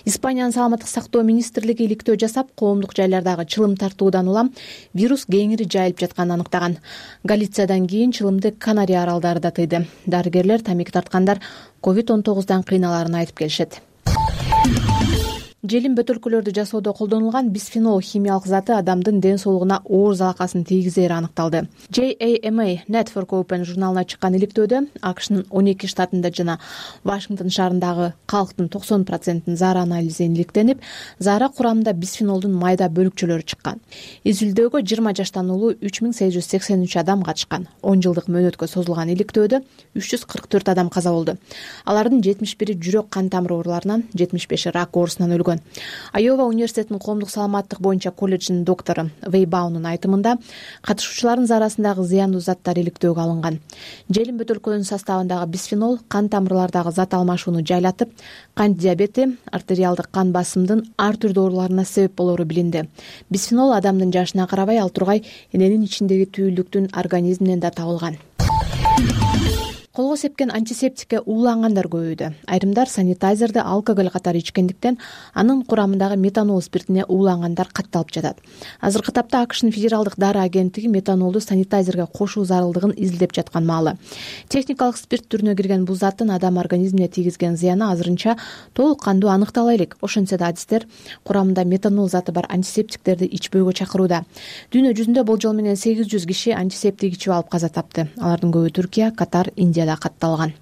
Испаниянын саламаттык сактоо министрлиги иликтөө жасап, коомдук жайлардагы чылым тартуудан улам вирус кеңири жайылып жатканын аныктаган. Галициядан кийин чылымды Канария аралдары да тыйды. Дарыгерлер тамеки тарткандар COVID-19 кыйналарын айтып келишет. Желим бөтөлкөлөрдү жасоодо колдонулган бисфенол химиялык заты адамдын ден соолугуна оор залакасын тийгизери аныкталды. JAMA Network Open журналына чыккан иликтөөдө АКШнын 12 штатында жана Вашингтон шаарындагы калктын 90% заара анализи иликтенип, заара курамында бисфенолдун майда бөлүкчөлөрү чыккан. Изилдөөгө 20 жаштан улуу 3883 адам катышкан. 10 жылдык мөөнөткө созулган иликтөөдө 344 адам каза болду. Алардын 71 жүрөк кан тамыры ооруларынан, 75 рак оорусунан өлгөн. Айова университетинин коомдук саламаттык боюнча колледжинин доктору Вейбаунун айтымында, катышуучулардын заарасындагы зыяндуу заттар иликтөөгө алынган. Желим бөтөлкөнүн составындагы бисфенол кан тамырлардагы зат алмашууну жайлатып, кант диабети, артериалдык кан басымдын ар түрдүү ооруларына себеп болору билинди. Бисфенол адамдын жашына карабай ал тургай эненин ичиндеги түйүлдүктүн организминен да табылган. Колго сепкен антисептикке уулангандар көбөйдү. Айрымдар санитайзерди алкоголь катары ичкендиктен анын курамындагы метанол спиртине уулангандар катталып жатат. Азыркы тапта АКШнын федералдык дары агенттиги метанолду санитайзерге кошуу зарылдыгын изилдеп жаткан маалы. Техникалык спирт түрүнө кирген бул заттын адам организмине тийгизген зыяны азырынча толук кандуу аныктала элек. Ошентсе да адистер курамында метанол заты бар антисептиктерди ичпөөгө чакырууда. Дүйнө жүзүндө болжол менен 800 киши антисептик ичип алып каза тапты. Алардын көбү Түркия, Катар, Индия катталган.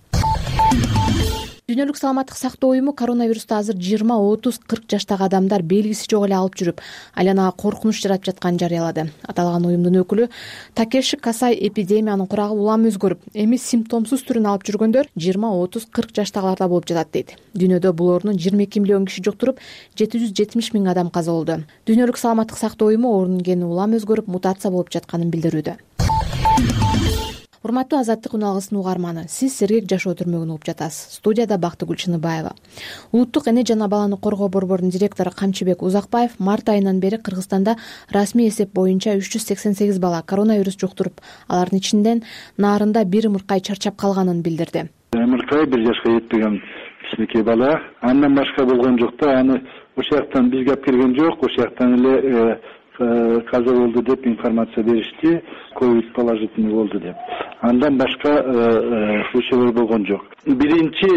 Дүйнөлүк саламаттык сактоо уюму коронавирусту азыр 20, 30, 40 жаштагы адамдар белгиси жок эле алып жүрүп, айланага коркунуч жаратып жатканын жарыялады. Аталган уюмдун өкүлү Такеши Касай эпидемиянын курагы улам өзгөрүп, эми симптомсуз түрүн алып жүргөндөр 20, 30, 40 жаштагыларда болуп жатат дейт. Дүйнөдө бул оорунун 22 миллион киши жуктуруп, 770 000 адам каза болду. Дүйнөлүк саламаттык сактоо уюму оорунун кени улам өзгөрүп, мутация болуп жатканын билдирүүдө. Урматтуу Азаттык үн алгысынын угарманы, сиз Сергек жашоо түрмөгүн угуп жатасыз. Студияда Бактыгүл Чыныбаева. Улуттук эне жана баланы коргоо борборунун директору Камчыбек Узакбаев март айынан бери Кыргызстанда расмий эсеп боюнча 388 бала коронавирус жуктуруп, алардын ичинен Нарында бир ымыркай чарчап калганын билдирди. Ымыркай 1 жашка жетпеген кичинекей бала, андан башка болгон жок да, аны ошол жактан бизге алып келген жок, ошол жактан эле каза болду деп информация беришти, ковид положительный болду деп. Андан башка случайлар болгон жок. Биринчи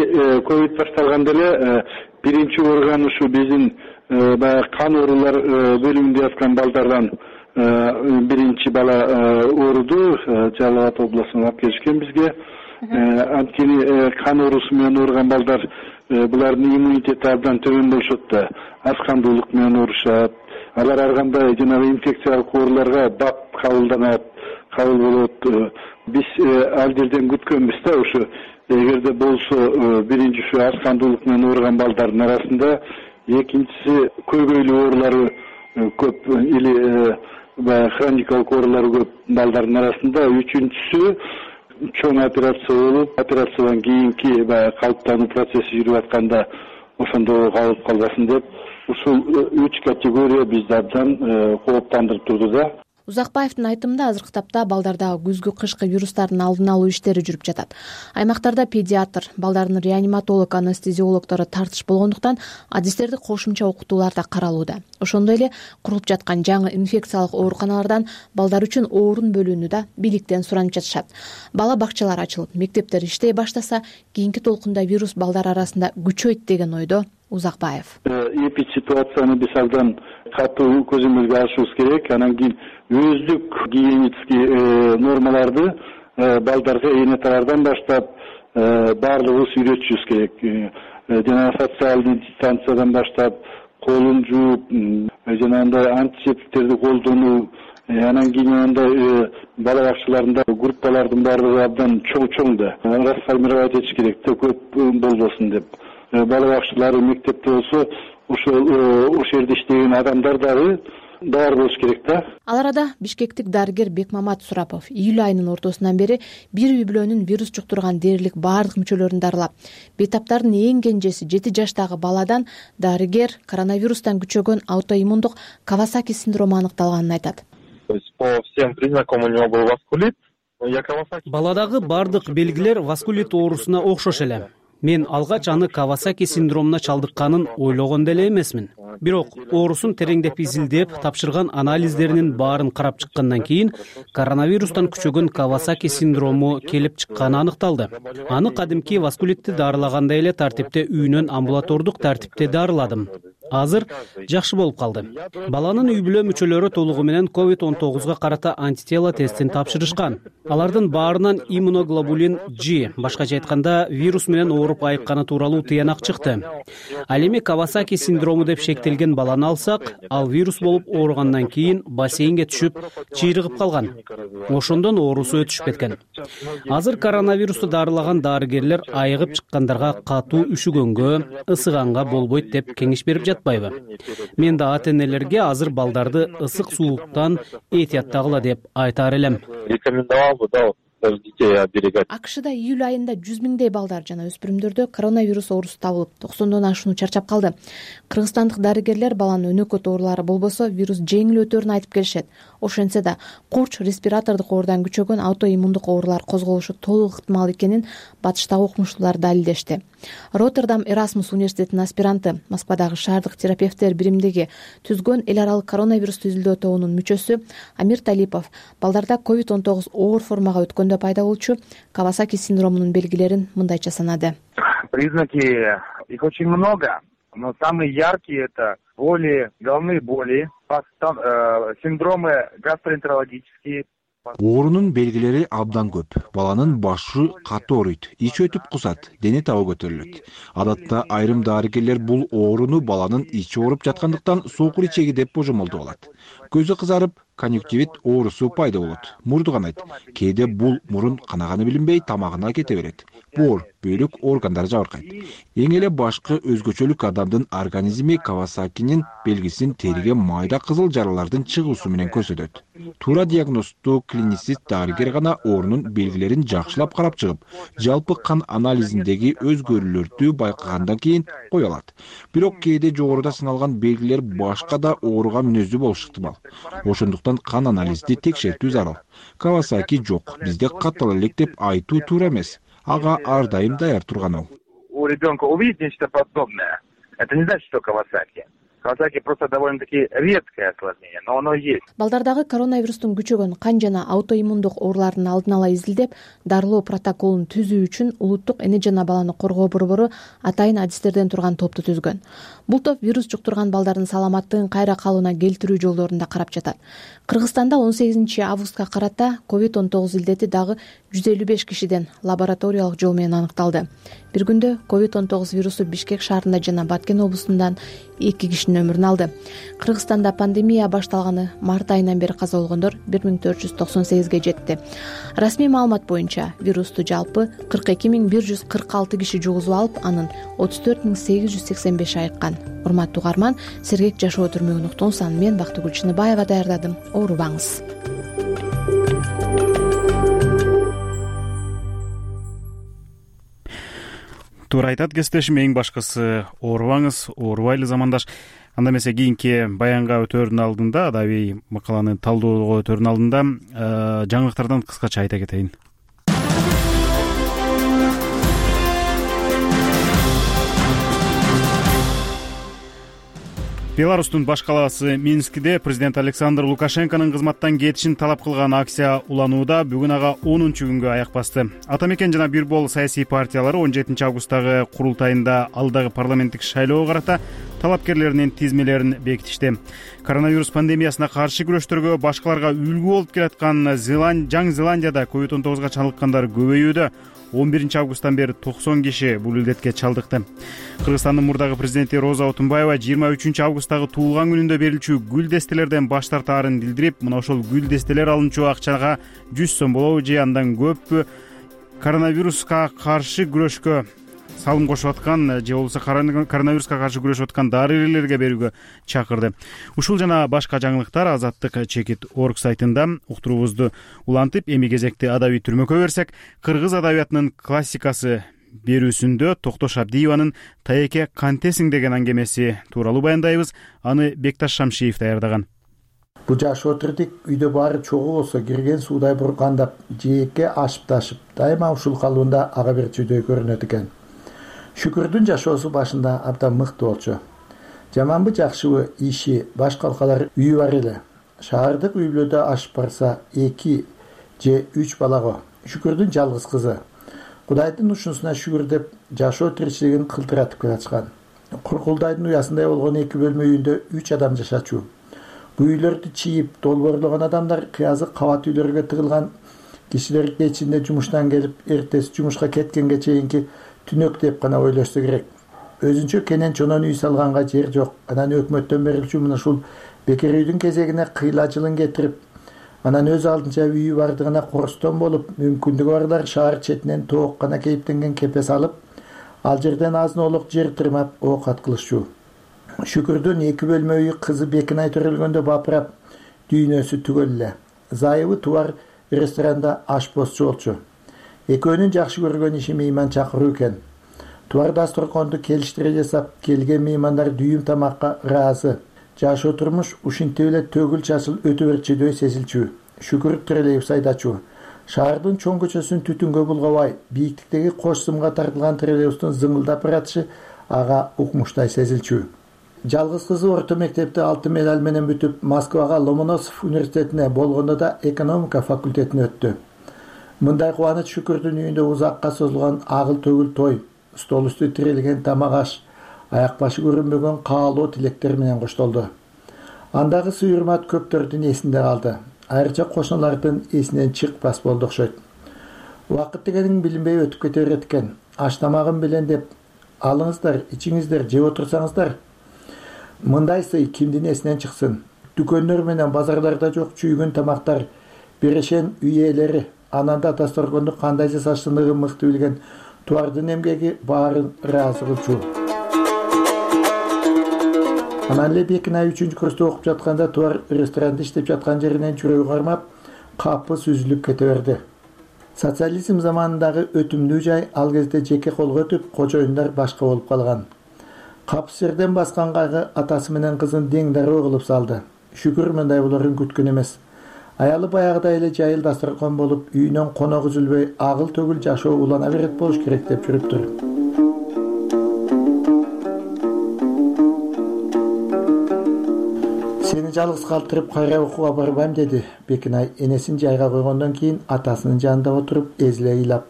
ковид башталганда эле биринчи орган ушу биздин баягы кан оорулар бөлүмүндө яткан балдардан биринчи бала ооруду, Жалал Абад областынан алып келишкен бизге. Анткени кан оорусу менен ооруган балдар булардын иммунитети абдан төмөн болушот да, аз кандуулук менен оорушат. Алар ар кандай жанагы инфекциялык ооруларга бап кабыл болот. Биз ал жерден күткөнбүз да, ушу эгерде болсо биринчи ушу аз кандуулук менен ооруган балдардын арасында, экинчиси көйгөйлүү оорулары көп или хроникалык оорулары көп балдардын арасында, үчүнчүсү чоң операция болуп, операциядан кийинки баягы калыптануу процесси жүрүп атканда ошондо калып калбасын деп ушул 3 категория бизди абдан кооптандырып турду да. Узакбаевдин айтымында азыркы тапта балдардагы күзгү кышкы вирустардын алдын алуу иштери жүрүп жатат. Аймактарда педиатр, балдардын реаниматолог, анестезиологдору тартыш болгондуктан адистерди кошумча окутууларда каралууда. Ошондой эле курулуп жаткан жаңы инфекциялык ооруканалардан балдар үчүн орун бөлүүнү да бийликтен суранып жатышат. Бала бакчалар ачылып, мектептер иштей баштаса, кийинки толкунда вирус балдар арасында күчөйт деген ойдо Узакбаев. Эпидситуацияны биз абдан катуу көзөмөлгө алышыбыз керек. Анан кийин өздүк гигиенический нормаларды балдарга энеталардан баштап баардыгыбыз үйрөтүшүбүз керек. Жана социалдык дистанциядан баштап колун жууп, жанагындай антисептиктерди колдонуу, анан кийин андай бала бакчаларында группалардын баардыгы абдан чоң да расформировать этиш керек да, көп болбосун деп. Бала бакчалары мектепте болсо ошол жерде иштеген адамдар дагы бар болуш керек да. Ал арада бишкектик дарыгер Бекмамат Сурапов июль айынын ортосунан бери бир үй бүлөнүн вирус жуктурган дээрлик баардык мүчөлөрүн дарылап, бейтаптардын эң кенжеси 7 жаштагы баладан дарыгер коронавирустан күчөгөн аутоиммундук Кавасаки синдрому аныкталганын айтат. По всем признакам у него был васкулит. Баладагы баардык белгилер васкулит оорусуна окшош эле. Мен алгач аны Кавасаки синдромуна чалдыкканын ойлогон деле эмесмин. Бирок оорусун тереңдеп изилдеп, тапшырган анализдеринин баарын карап чыккандан кийин коронавирустан күчөгөн Кавасаки синдрому келип чыкканы аныкталды. Аны кадимки васкулитти дарылагандай эле тартипте үйүнөн амбулатордук тартипте дарыладым. Азыр жакшы болуп калды. Баланын үй бүлө мүчөлөрү толугу менен COVID-19 карата антитела тестин тапшырышкан. Алардын баарынан иммуноглобулин G, башкача айтканда вирус менен ооруп айыкканы тууралуу тыянак чыкты. Ал эми Кавасаки синдрому деп шектелген баланы алсак, ал вирус болуп ооругандан кийин бассейнге түшүп, чыйрыгып калган. Ошондон оорусу өтүшүп кеткен. Азыр коронавирусту дарылаган дарыгерлер айыгып чыккандарга катуу үшүгөнгө, ысыганга болбойт деп кеңеш берип жатпайбы? Мен да ата-энелерге азыр балдарды ысык суулуктан этияттагыла деп айтар элем. Рекомендовал бы, да, даже детей оберегать. АКШда июль айында 100 миңдей балдар жана өспүрүмдөрдө коронавирус оорусу табылып, 90дон ашууну чарчап калды. Кыргызстандык дарыгерлер баланын өнөкөт оорулары болбосо вирус жеңил өтөрүн айтып келишет. Ошентсе да курч, респиратордук оордан күчөгөн аутоиммундук оорулар козголушу толук ыктымал экенин батыштагы окумуштуулар далилдешти. Роттердам Эрасмус университетинин аспиранты, Москвадагы шаардык терапевттер биримдиги түзгөн эл аралык коронавирусту изилдөө тобунун мүчөсү Амир Талипов балдарда COVID-19 оор формага өткөндө пайда болчу Кавасаки синдромунун белгилерин мындайча санады. Признаки их очень много, но самые яркие это боли, головные боли, синдромы гастроэнтерологические. Оорунун белгилери абдан көп. Баланын башы катуу ооруйт, ич өтүп кусат, дене табы көтөрүлөт. Адатта айрым дарыгерлер бул ооруну баланын ичи ооруп жаткандыктан сокур ичеги деп божомолдоп алат. Көзү кызарып, конъюнктивит оорусу пайда болот. Мурду канайт. Кээде бул мурун канаганы билинбей тамагына кете берет. Боор, бөйлөк органдар жабыркайт. Эң эле башкы өзгөчөлүк адамдын организми Кавасакинин белгисин териге майда кызыл жаралардын чыгуусу менен көрсөтөт. Туура диагносту клиницист дарыгер гана оорунун белгилерин жакшылап карап чыгып, жалпы кан анализиндеги өзгөрүүлөрдү байкагандан кийин кое алат. Бирок кээде жогоруда сыналган белгилер башка да ооруга мүнөздүү болушу ыктымал. Ошондуктан кан анализди текшертүү зарыл. Кавасаки жок, бизде каттала элек деп айтуу туура эмес. Ага ар дайым даяр турган. У ребенка увидеть нечто подобное, это не значит, что Кавасаки. Кавасаки просто довольно-таки редкое осложнение, но оно есть. Балдардагы коронавирустун күчөгөн кан жана аутоиммундук оорулардын алдын ала изилдеп, дарылоо протоколун түзүү үчүн улуттук эне жана баланы коргоо борбору атайын адистерден турган топту түзгөн. Бул топ вирус жуктурган балдардын саламаттыгын кайра калыбына келтирүү жолдорун да карап жатат. Кыргызстанда 18 августка карата COVID-19 илдети дагы 155 кишиден лабораториялык жол менен аныкталды. Бир күндө COVID-19 вирусу Бишкек шаарында жана Баткен облусундан 2 кишинин өмүрүн алды. Кыргызстанда пандемия башталганы март айынан бери каза болгондор 1498ге жетти. Расмий маалымат боюнча вирусту жалпы 42146 киши жугузуп алып, анын 34885 айыккан. Урматтуу угарман, сергек жашоо түрмөгүн уктуңуз. Мен Бактыгүл Чыныбаева даярдадым. Оорубаңыз. туура айтат кесиптешим, эң башкысы оорубаңыз, оорубайлы замандаш. Анда эмесе кийинки баянга өтөөрдүн алдында, адабий макаланы талдоого өтөөрдүн алдында жаңылыктардан кыскача айта кетейин. Беларустун баш калаасы Минскиде президент Александр Лукашенконун кызматтан кетишин талап кылган акция уланууда бүгүн ага 10-күнгө аяк басты. Ата мекен жана бир бол саясий партиялары 17 августтагы курултайында алдагы парламенттик шайлоого карата талапкерлеринин тизмелерин бекитишти. Коронавирус пандемиясына каршы күрөштөргө башкаларга үлгү болуп келаткан Жаңы Зеландияда COVID-19 чалдыккандар көбөйүүдө. 11 августтан бери 90 киши бул илдетке чалдыкты. Кыргызстандын мурдагы президенти Роза Отунбаева 23 августтагы туулган күнүндө берилчү гүл дестелерден баш тартаарын билдирип, мына ошол гүл дестелер алынчу акчага 100 сом болобу же андан көп коронавируска каршы күрөшкө салым кошуп аткан же болбосо коронавируска каршы күрөшүп аткан дарыгерлерге берүүгө чакырды. Ушул жана башка жаңылыктар Азаттык Чекит.org сайтында уктуруубузду улантып, эми кезекти адабий түрмөккө берсек, кыргыз адабиятынын классикасы берүүсүндө Токтош Абдиеванын «Таеке кантесиң» деген аңгемеси тууралуу баяндайбыз. Аны Бекташ Шамшиев даярдаган. Бу жаш отурдик үйдө баары чогуу болсо кирген суудай буркандап, жээкке ашып ташып, дайыма ушул калуунда ага бир чүйдөй көрүнөт экен. Шүкүрдүн жашоосу башында абдан мыкты болчу. Жаманбы жакшыбы иши, баш калкалар үйү бар эле. Шаардык үй бүлөдө ашып барса 2 же 3 балаго. Шүкүрдүн жалгыз кызы. Кудайдын ушунусуна шүгүр деп жашоо тиричилигин кылтыратып келатышкан. Куркулдайдын уясындай болгон 2 бөлмө үйүндө 3 адам жашачу. Бул үйлөрдү чийип, долбоорлогон адамдар кыязык кабат үйлөргө тыгылган. Кишилер кечинде жумуштан келип, эртеси жумушка кеткенге чейинки түнөк деп гана ойлошсо керек. Өзүнчө кенен чонон үй салганга жер жок. Анан өкмөттөн берилчү мына ушул бекер үйдүн кезегине кыйла жылын кетирип, анан өз алдынча үйү бардыгына корстон болуп, мүмкүндүгү барлар шаар четинен тоок гана кейиптенген кепес алып, ал жерден азын-олук жер тырмап оокат кылышчу. Шүкүрдүн 2 бөлмө үйү кызы Бекинай төрөлгөндө бапырап, дүйнөсү түгөл эле. Зайыбы Туар ресторанда ашпозчу болчу. Экөөнүн жакшы көргөн иши мейман чакыруу экен. Туар дасторконду келиштире жасап, келген меймандар дүйүм тамакка ыраазы. Жашоо турмуш ушинтип эле төгүл чачыл өтө берчүдөй сезилчү. Шүкүр Трелебус айдачу. Шаардын чоң көчөсүн түтүнгө булгабай, бийиктиктеги кош сымга тартылган трелебустун зыңылдап баратышы ага укмуштай сезилчү. Жалгыз кызы орто мектепти 6 медаль менен бүтүп, Москвага Ломоносов университетине болгондо да экономика факультетине өттү. Мындай кубаныч Шүкүрдүн үйүндө узакка созулган агыл төгүл той, стол үстү тирелген тамак аш, аяк башы көрүнбөгөн каалоо тилектер менен коштолду. Андагы сый-урмат көптөрдүн эсинде калды. Айрыча кошуналардын эсинен чыкпас болду окшойт. Убакыт дегениң билинбей өтүп кете берет экен. Аш тамагым билен деп алыңыздар, ичиңиздер, жеп отурсаңыздар. Мындай сый кимдин эсинен чыксын? Дүкөндөр менен базарларда жок чүйгүн тамактар, берешен үй ээлери, анан да дасторконду кандай жасаштыгын мыкты билген Туардын эмгеги баарын ыраазы кылчу. Анан эле Бекинай 3-курста окуп жатканда Туар ресторанда иштеп жаткан жеринен жүрөгү кармап, капыс үзүлүп кете берди. Социализм заманындагы өтүмдүү жай ал кезде жеке колго өтүп, кожоюндар башка болуп калган. Капыс жерден баскан кайгы атасы менен кызын дең дароо кылып салды. Шүкүр мындай болорун күткөн эмес. Аялы баягыдай эле жайыл дасторкон болуп, үйүнөн конок үзүлбөй, агыл төгүл жашоо улана берет болуш керек деп жүрүптүр. Сени жалгыз калтырып кайра окууга барбайм деди Бекинай энесин жайга койгондон кийин атасынын жанында отуруп эзиле ыйлап.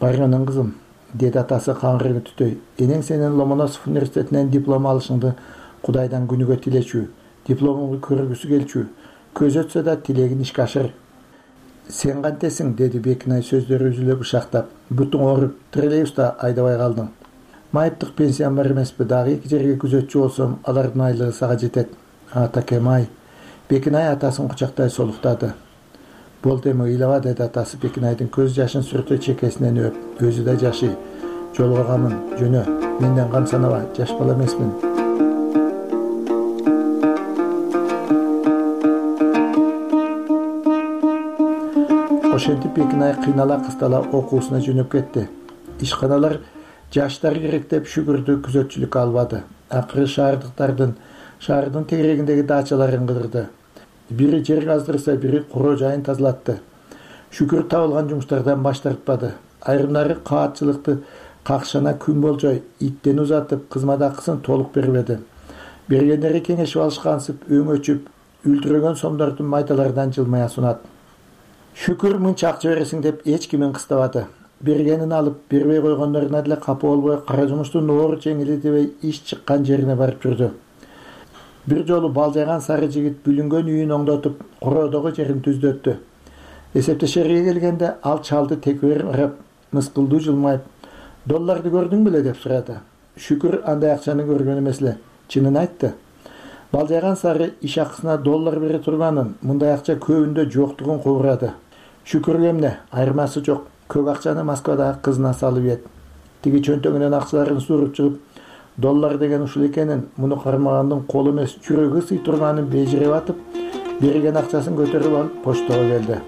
Баргынын кызым, деди атасы каңгыры түтөй. Энең сенин Ломоносов университетинен диплом алышыңды Кудайдан күнүгө тилечү. Дипломуңду көргүсү келчү. Көз өтсө да тилегин ишке ашыр. Сен кантесиң, деди Бекинай сөздөрү үзүлө бышактап. Бутуң ооруп, троллейбуста айдабай калдың. Майыптык пенсиям бар эмеспи, дагы 2 жерге күзөтчү болсом, алардын айлыгы сага жетет. Атакем ай. Бекинай атасын кучактай солуктады. Болду эми ыйлаба, деди атасы Бекинайдын көз жашын сүртө чекесинен өп. Өзү да жашый. Жолгогамын, жөнө. Менден кам санаба, жаш бала эмесмин. Ошентип Бекинай кыйнала кыстала окуусуна жөнөп кетти. Ишканалар жаштар керек деп Шүкүрдү күзөтчүлүккө албады. Акыры шаардын тегерегиндеги дачаларын кыдырды. Бири жер каздырса, бири куроо жайын тазалатты. Шүкүр табылган жумуштардан баш тартпады. Айрымдары каатчылыкты какшана күн болжой иттен узатып, кызмат акысын толук бербеди. Бергендери кеңешип алышкансып, өңөчүп, үлтүрөгөн сомдордун майдаларынан жылмая сунат. Шүкүр мынча акча бересиң деп эч кимин кыстабады. Бергенин алып, бербей койгондоруна деле капа болбой, кара жумуштун оор жеңили дебей иш чыккан жерине барып жүрдү. Бир жолу балжайган сары жигит бүлүнгөн үйүн оңдотуп, короодогу жерин түздөттү. Эсептешерге келгенде ал чалды текебер карап, мыскылдуу жылмайып, «Долларды көрдүң беле?» деп сурады. Шүкүр андай акчаны көргөн эмес эле, чынын айтты. Балжайган сары иш акысына доллар бере турганын, мындай акча көбүндө жоктугун кубурады. Шүкүргө эмне, айырмасы жок. Көк акчаны Москвадагы кызына салып ийет. Тиги чөнтөгүнөн акчаларын сууруп чыгып, доллар деген ушул экенин, муну кармагандын колу эмес жүрөгү сый турганын бежиреп атып, берген акчасын көтөрүп алып почтого келди.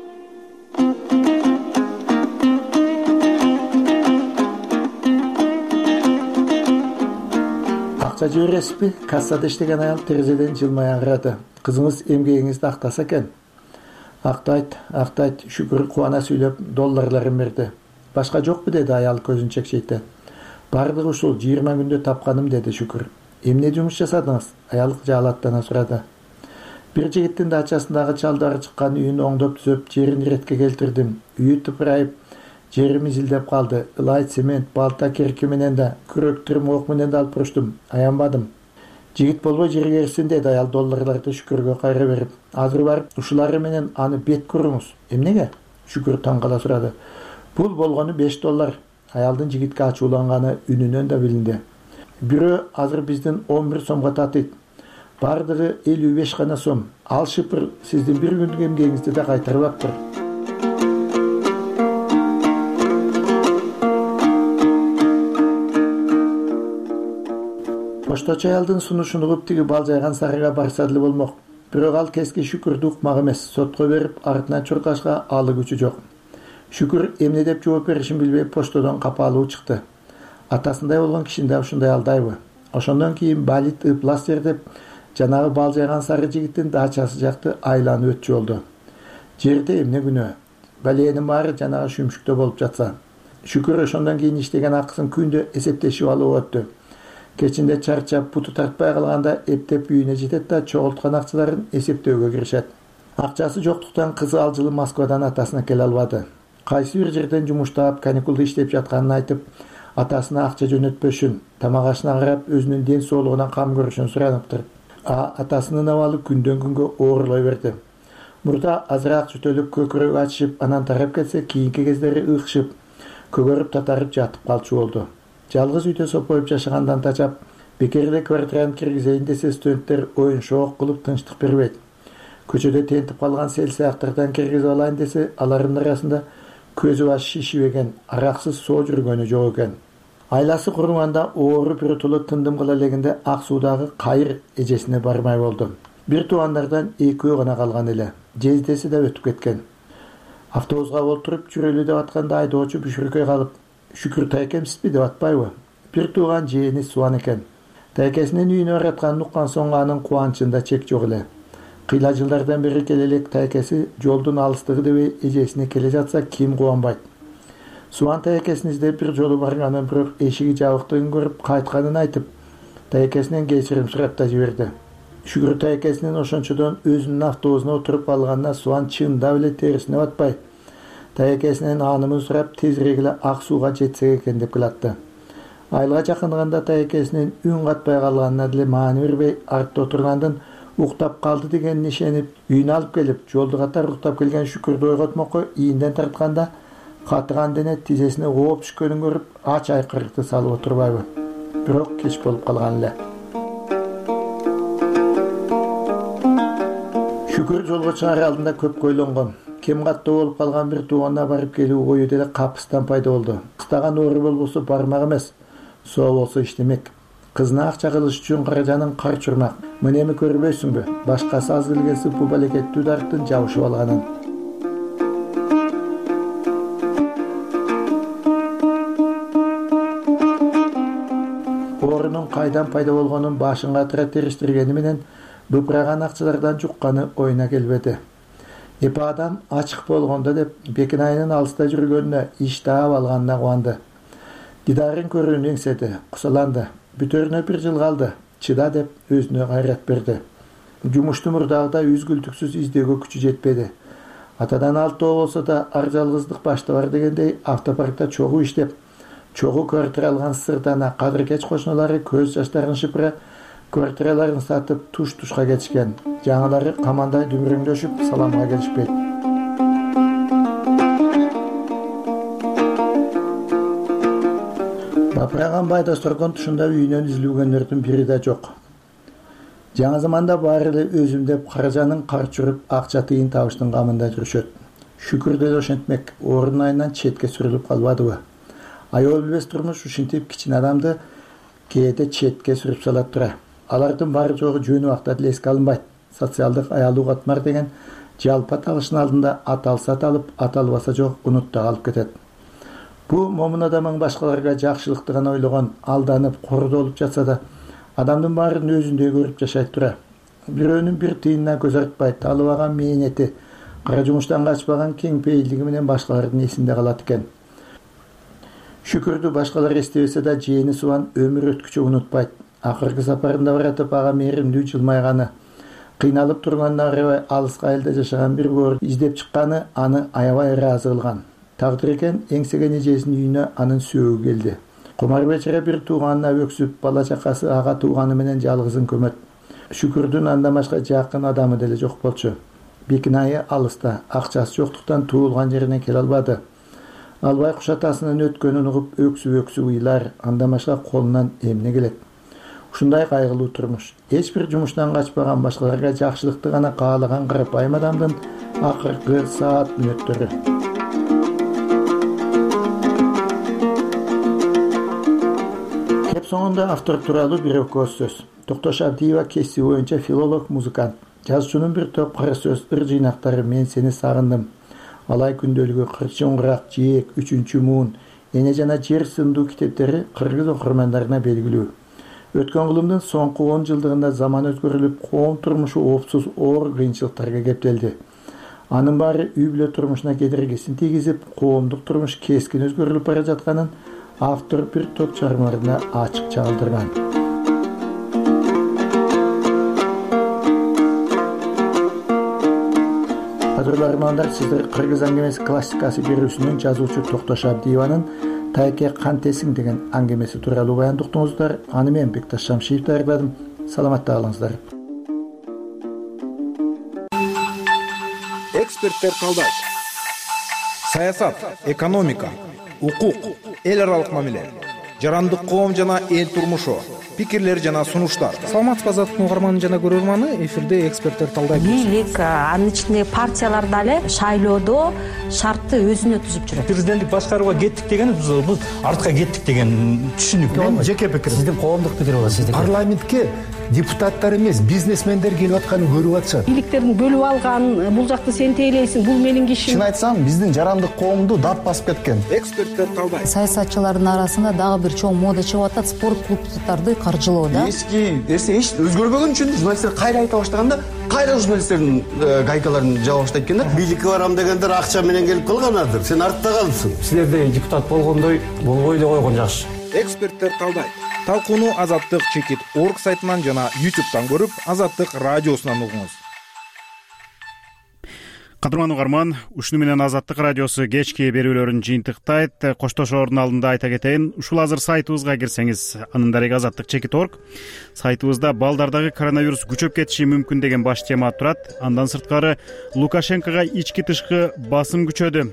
Акча жибересизби? Кассада иштеген аял терезеден жылмая карады. Кызыңыз эмгегиңизди актаса экен. Актайт. Шүкүр кубана сүйлөп долларларын берди. Башка жокпу деди аял көзүн чекчейте. Бардыгы ушул 20 күндө тапканым деди Шүкүр. Эмне жумуш жасадыңыз? Аял жалаттана сурады. Бир жигиттин дачасындагы чалдары чыккан үйүн оңдоп түзөп, жерин иретке келтирдим. Үйү тыпырайып, жери мизилдеп калды. Ылай, цемент, балта, керки менен да, күрөк, тырмок менен да алып уруштум. Аянбадым. Жигит болбой жерге эрсин деди аял долларларды Шүкүргө кайра берип. Азыр барып, ушулары менен аны бет куруңуз. Эмнеге? Шүкүр таң кала сурады. Бул болгону $5. Аялдын жигитке ачууланганы үнүнөн да билинди. Бирөө азыр биздин 11 сомго татыйт. Бардыгы 55 гана сом. Ал шыпыр сиздин бир күндүк эмгегиңизди да кайтарбаптыр. Пошточу аялдын сунушун угуп тиги балжайган сарыга барса деле болмок. Бирок ал кески Шүкүрдү укмак эмес, сотко берип, артынан чуркашка алы күчү жок. Шүкүр эмне деп жооп беришин билбей поштодон капалуу чыкты. Атасындай болгон кишини да ушундай алдайбы? Ошондон кийин балит ыпластер деп жанагы балжайган сары жигиттин дачасы жакты айланып өтчү болду. Жерде эмне күнөө? Баленин баары жанагы шүмшүктө болуп жатса. Шүкүр ошондон кийин иштеген акысын күндө эсептешип алып өттү. Кечинде чарчап, буту тартпай калганда эптеп үйүнө жетет да чогулткан акчаларын эсептөөгө киришет. Акчасы жоктуктан кызы ал жылы Москвадан атасына келе албады. Кайсы бир жерден жумуштап, каникулда иштеп жатканын айтып, атасына акча жөнөтпөшүн, тамак ашына карап, өзүнүн ден соолугуна кам көрүшүн сураныптыр. Атасынын абалы күндөн күнгө оорлой берди. Мурда азыраак жөтөлүп, көкүрөгү ачышып, анан тарап кетсе, кийинки кездери ыкшып, көгөрүп татарып жатып калчу болду. Жалгыз үйдө сопоюп жашагандан тачап, бекерде квартираны киргизейин десе студенттер оюн шоок кылып тынчтык бербейт. Көчөдө тентип калган сел сыяктардан киргизип алайын десе, алардын арасында көзү баш шишибеген, араксыз соо жүргөнү жок экен. Айласы куруманда оору биротоло тындым кыла элегинде ак суудагы кайыр эжесине бармай болду. Бир туугандардан экөө гана калган эле. Жездеси да өтүп кеткен. Автобуска олтуруп жүрөлү деп атканда айдоочу бүшүркөй калып, Шүкүр тайкемсизби деп атпайбы? Бир тууган жээни Суан экен. Тайкесинин үйүнө баратканын уккан соң анын кубанычында чек жок эле. Кыйла жылдардан бери келе элек тайкеси жолдун алыстыгы дебей эжесине келе жатса ким кубанбайт. Суан тайкесин издеп бир жолу барганын, бирок эшиги жабыктыгын көрүп кайтканын айтып, тайкесинен кечирим сурап да жиберди. Шүкүр тайкесинин ошончодон өзүнүн автобусуна отуруп алганына Суан чындап эле терисине батпай, тайкесинен аанымын сурап тезирээк эле ак сууга жетсек экен деп кылатты. Айылга жакындаганда тайкесинин үн катпай калганына деле маани бербей, артта отургандын уктап калды дегенине ишенип, үйүнө алып келип, жолду катар уктап келген Шүкүрдү ойготмокко ийинден тартканда, катыган дене тизесине ооп түшкөнүн көрүп, ач айкырыкты салып отурбайбы? Бирок кеч болуп калган эле. Шүкүр жолго чыгаар алдында көпкө ойлонгон. Кем каттуу болуп калган бир тууганына барып келүү ою деле капыстан пайда болду. Кыстаган оору болбосо бармак эмес, соо болсо иштемек. Кызына акча кылыш үчүн каражанын кар чурмак. Мынеми көрбөйсүңбү? Башкасы аз келгенси бул балекеттүү дарыктын жабышып алганын. кайдан пайда болгонун башын катыра териштиргени менен быпыраган акчалардан жукканы оюна келбеди. Эпе адам ачык болгондо деп Бекинайнын алыста жүргөнүнө иш таап алганына кубанды. Дидарын көрүүнү эңседи, кусаланды. Бүтөрүнө 1 жыл калды. Чыда деп өзүнө кайрат берди. Жумушту мурдагыда үзгүлтүксүз издөөгө күчү жетпеди. Атадан алтоо болсо да ар жалгыздык башта бар дегендей автопаркта чогуу иштеп, чогуу квартира алган сырдана кадыр-кеч кошуналары көз жаштарын шыпыра квартираларын сатып туш-тушка кетишкен. Жаңылары камандай дүмүрөңдөшүп саламга келишпейт. Бапыраган байдостордон тушунда үйүнөн изилгендердин бири да жок. Жаңы заманда баары эле өзүм деп каражанын карт жүрүп акча тыйын табыштын камында жүрүшөт. Шүкүр деле ошентмек, орун айынан четке сүрүлүп калбадыбы? Аябыл билбес турмуш ушинтип кичине адамды кээде четке сүрүп салат тура. Алардын баары жогу жөн убакта деле эске алынбайт. Социалдык аялуу катмар деген жалпы аталыштын алдында аталса аталып, аталбаса жок унутта калып кетет. Бу момун адамың башкаларга жакшылыкты гана ойлогон, алданып, кордолуп жатса да, адамдын баарын өзүндөй көрүп жашайт тура. Бирөөнүн бир тыйынына көз артпай, талыбаган мээнети, кара жумуштан качпаган кең пейилдиги менен башкалардын эсинде калат экен. Шүкүрдү башкалар эстебесе да, жээни Субан өмүр өткүчө унутпайт. Акыркы сапарында баратып ага мээримдүү жылмайганы, кыйналып турганына карабай алыска элде жашаган бир көөр издеп чыкканы аны аябай ыраазы кылган. Тагдыр экен эңсеген эжесинин үйүнө анын сөөгү келди. Кумар бечара бир тууганына өксүп, бала чакасы ага тууганы менен жалгызын көмөт. Шүкүрдүн андан башка жакын адамы деле жок болчу. Бекинайы алыста, акчасы жоктуктан туулган жерине келе албады. Албай куш атасынын өткөнүн угуп өксүп ыйлар, андан башка колунан эмне келет? Ушундай кайгылуу турмуш. Эч бир жумуштан качпаган, башкаларга жакшылыкты гана каалаган карапайым адамдын акыркы саат мүнөттөрү. Кеп соңунда автор тууралуу бир өкөз сөз. Токтош Абдиева кесиби боюнча филолог, музыкант. Жазуучунун бир топ кара сөз ыр жыйнактары «Мен сени сагындым», Алай күндөлүгү, Кырчоңгурак, Жээк, Үчүнчү муун, Эне жана жер сындуу китептери кыргыз окурмандарына белгилүү. Өткөн кылымдын соңку 10 жылдыгында заман өзгөрүлүп, коом турмушу оопсуз оор кыйынчылыктарга кептелди. Анын баары үй бүлө турмушуна кедергисин тийгизип, коомдук турмуш кескин өзгөрүлүп бара жатканын автор бир топ чыгармаларында ачык чагылдырган. Кадырлуу армандар, сиздер Кыргыз аңгемеси классикасы берүүсүнүн жазуучу Токтош Абдиеванын «Тайке кантесиң» деген аңгемеси тууралуу баяндуктуңуздар. Аны мен Бекташ Шамшиев даярдадым. Саламатта калыңыздар. Эксперттер талдайт. Саясат, экономика, укук, эл аралык мамиле, жарандык коом жана эл турмушу, пикирлер жана сунуштар. Саламатсызбы азаттык угарманы жана көрөрманы, эфирде эксперттер талдайт. Бийлик, анын ичинде партиялар дагы шайлоодо шартты өзүнө түзүп жүрөт. Президенттик башкарууга кеттик деген биз артка кеттик деген түшүнүк. Жеке пикир. Сиздин коомдук пикир болот, сиздики. Парламентке депутаттар эмес, бизнесмендер келип атканын көрүп атышат. Бийликтерин бөлүп алган, бул жакты сен тейлейсиң, бул менин кишим. Чын айтсам, биздин жарандык коомду дат басып кеткен. Эксперттер талдайт. Саясатчылардын арасында дагы бир чоң мода чыгып атат, спорт клубдарды каржылоо да. Эски нерсе эч өзгөрбөгөн үчүн журналисттер кайра айта баштаганда, кайра журналисттердин гайкаларын жаба баштайт экен да. Бийликке барам дегендер акча менен келип калганадыр. Сен артта калдың. Силердей депутат болгондой болбой эле койгон жакшы. Эксперттер талдайт. Талкууну Азаттык чекит орг сайтынан жана YouTube'дан көрүп, Азаттык радиосунан угуңуз. Кадырман угарман, ушуну менен Азаттык радиосу кечки берүүлөрүн жыйынтыктайт. Коштошоордун алдында айта кетейин, ушул азыр сайтыбызга кирсеңиз, анын дареги Азаттык чекит орг. Сайтыбызда балдардагы коронавирус күчөп кетиши мүмкүн деген баш тема турат. Андан сырткары Лукашенкого ички тышкы басым күчөдү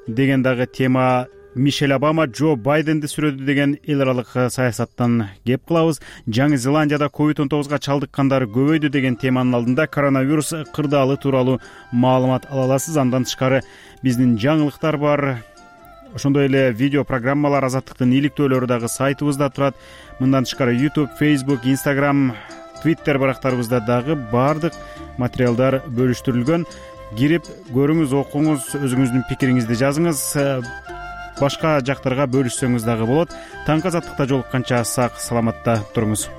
деген дагы тема, Мишель Обама Джо Байденди сүрөдү деген эл аралык саясаттан кеп кылабыз. Жаңы Зеландияда COVID-19 чалдыккандар көбөйдү деген теманын алдында коронавирус кырдаалы тууралуу маалымат ала аласыз. Андан тышкары биздин жаңылыктар бар. Ошондой эле видео программалар, Азаттыктын иликтөөлөрү дагы сайтыбызда турат. Мындан тышкары YouTube, Facebook, Instagram, Twitter барактарыбызда дагы баардык материалдар бөлүштүрүлгөн. Кирип көрүңүз, окуңуз, өзүңүздүн пикириңизди жазыңыз. башка жактарга бөлүшсөңүз дагы болот. Таңкы азаттыкта жолукканча сак саламатта туруңуз.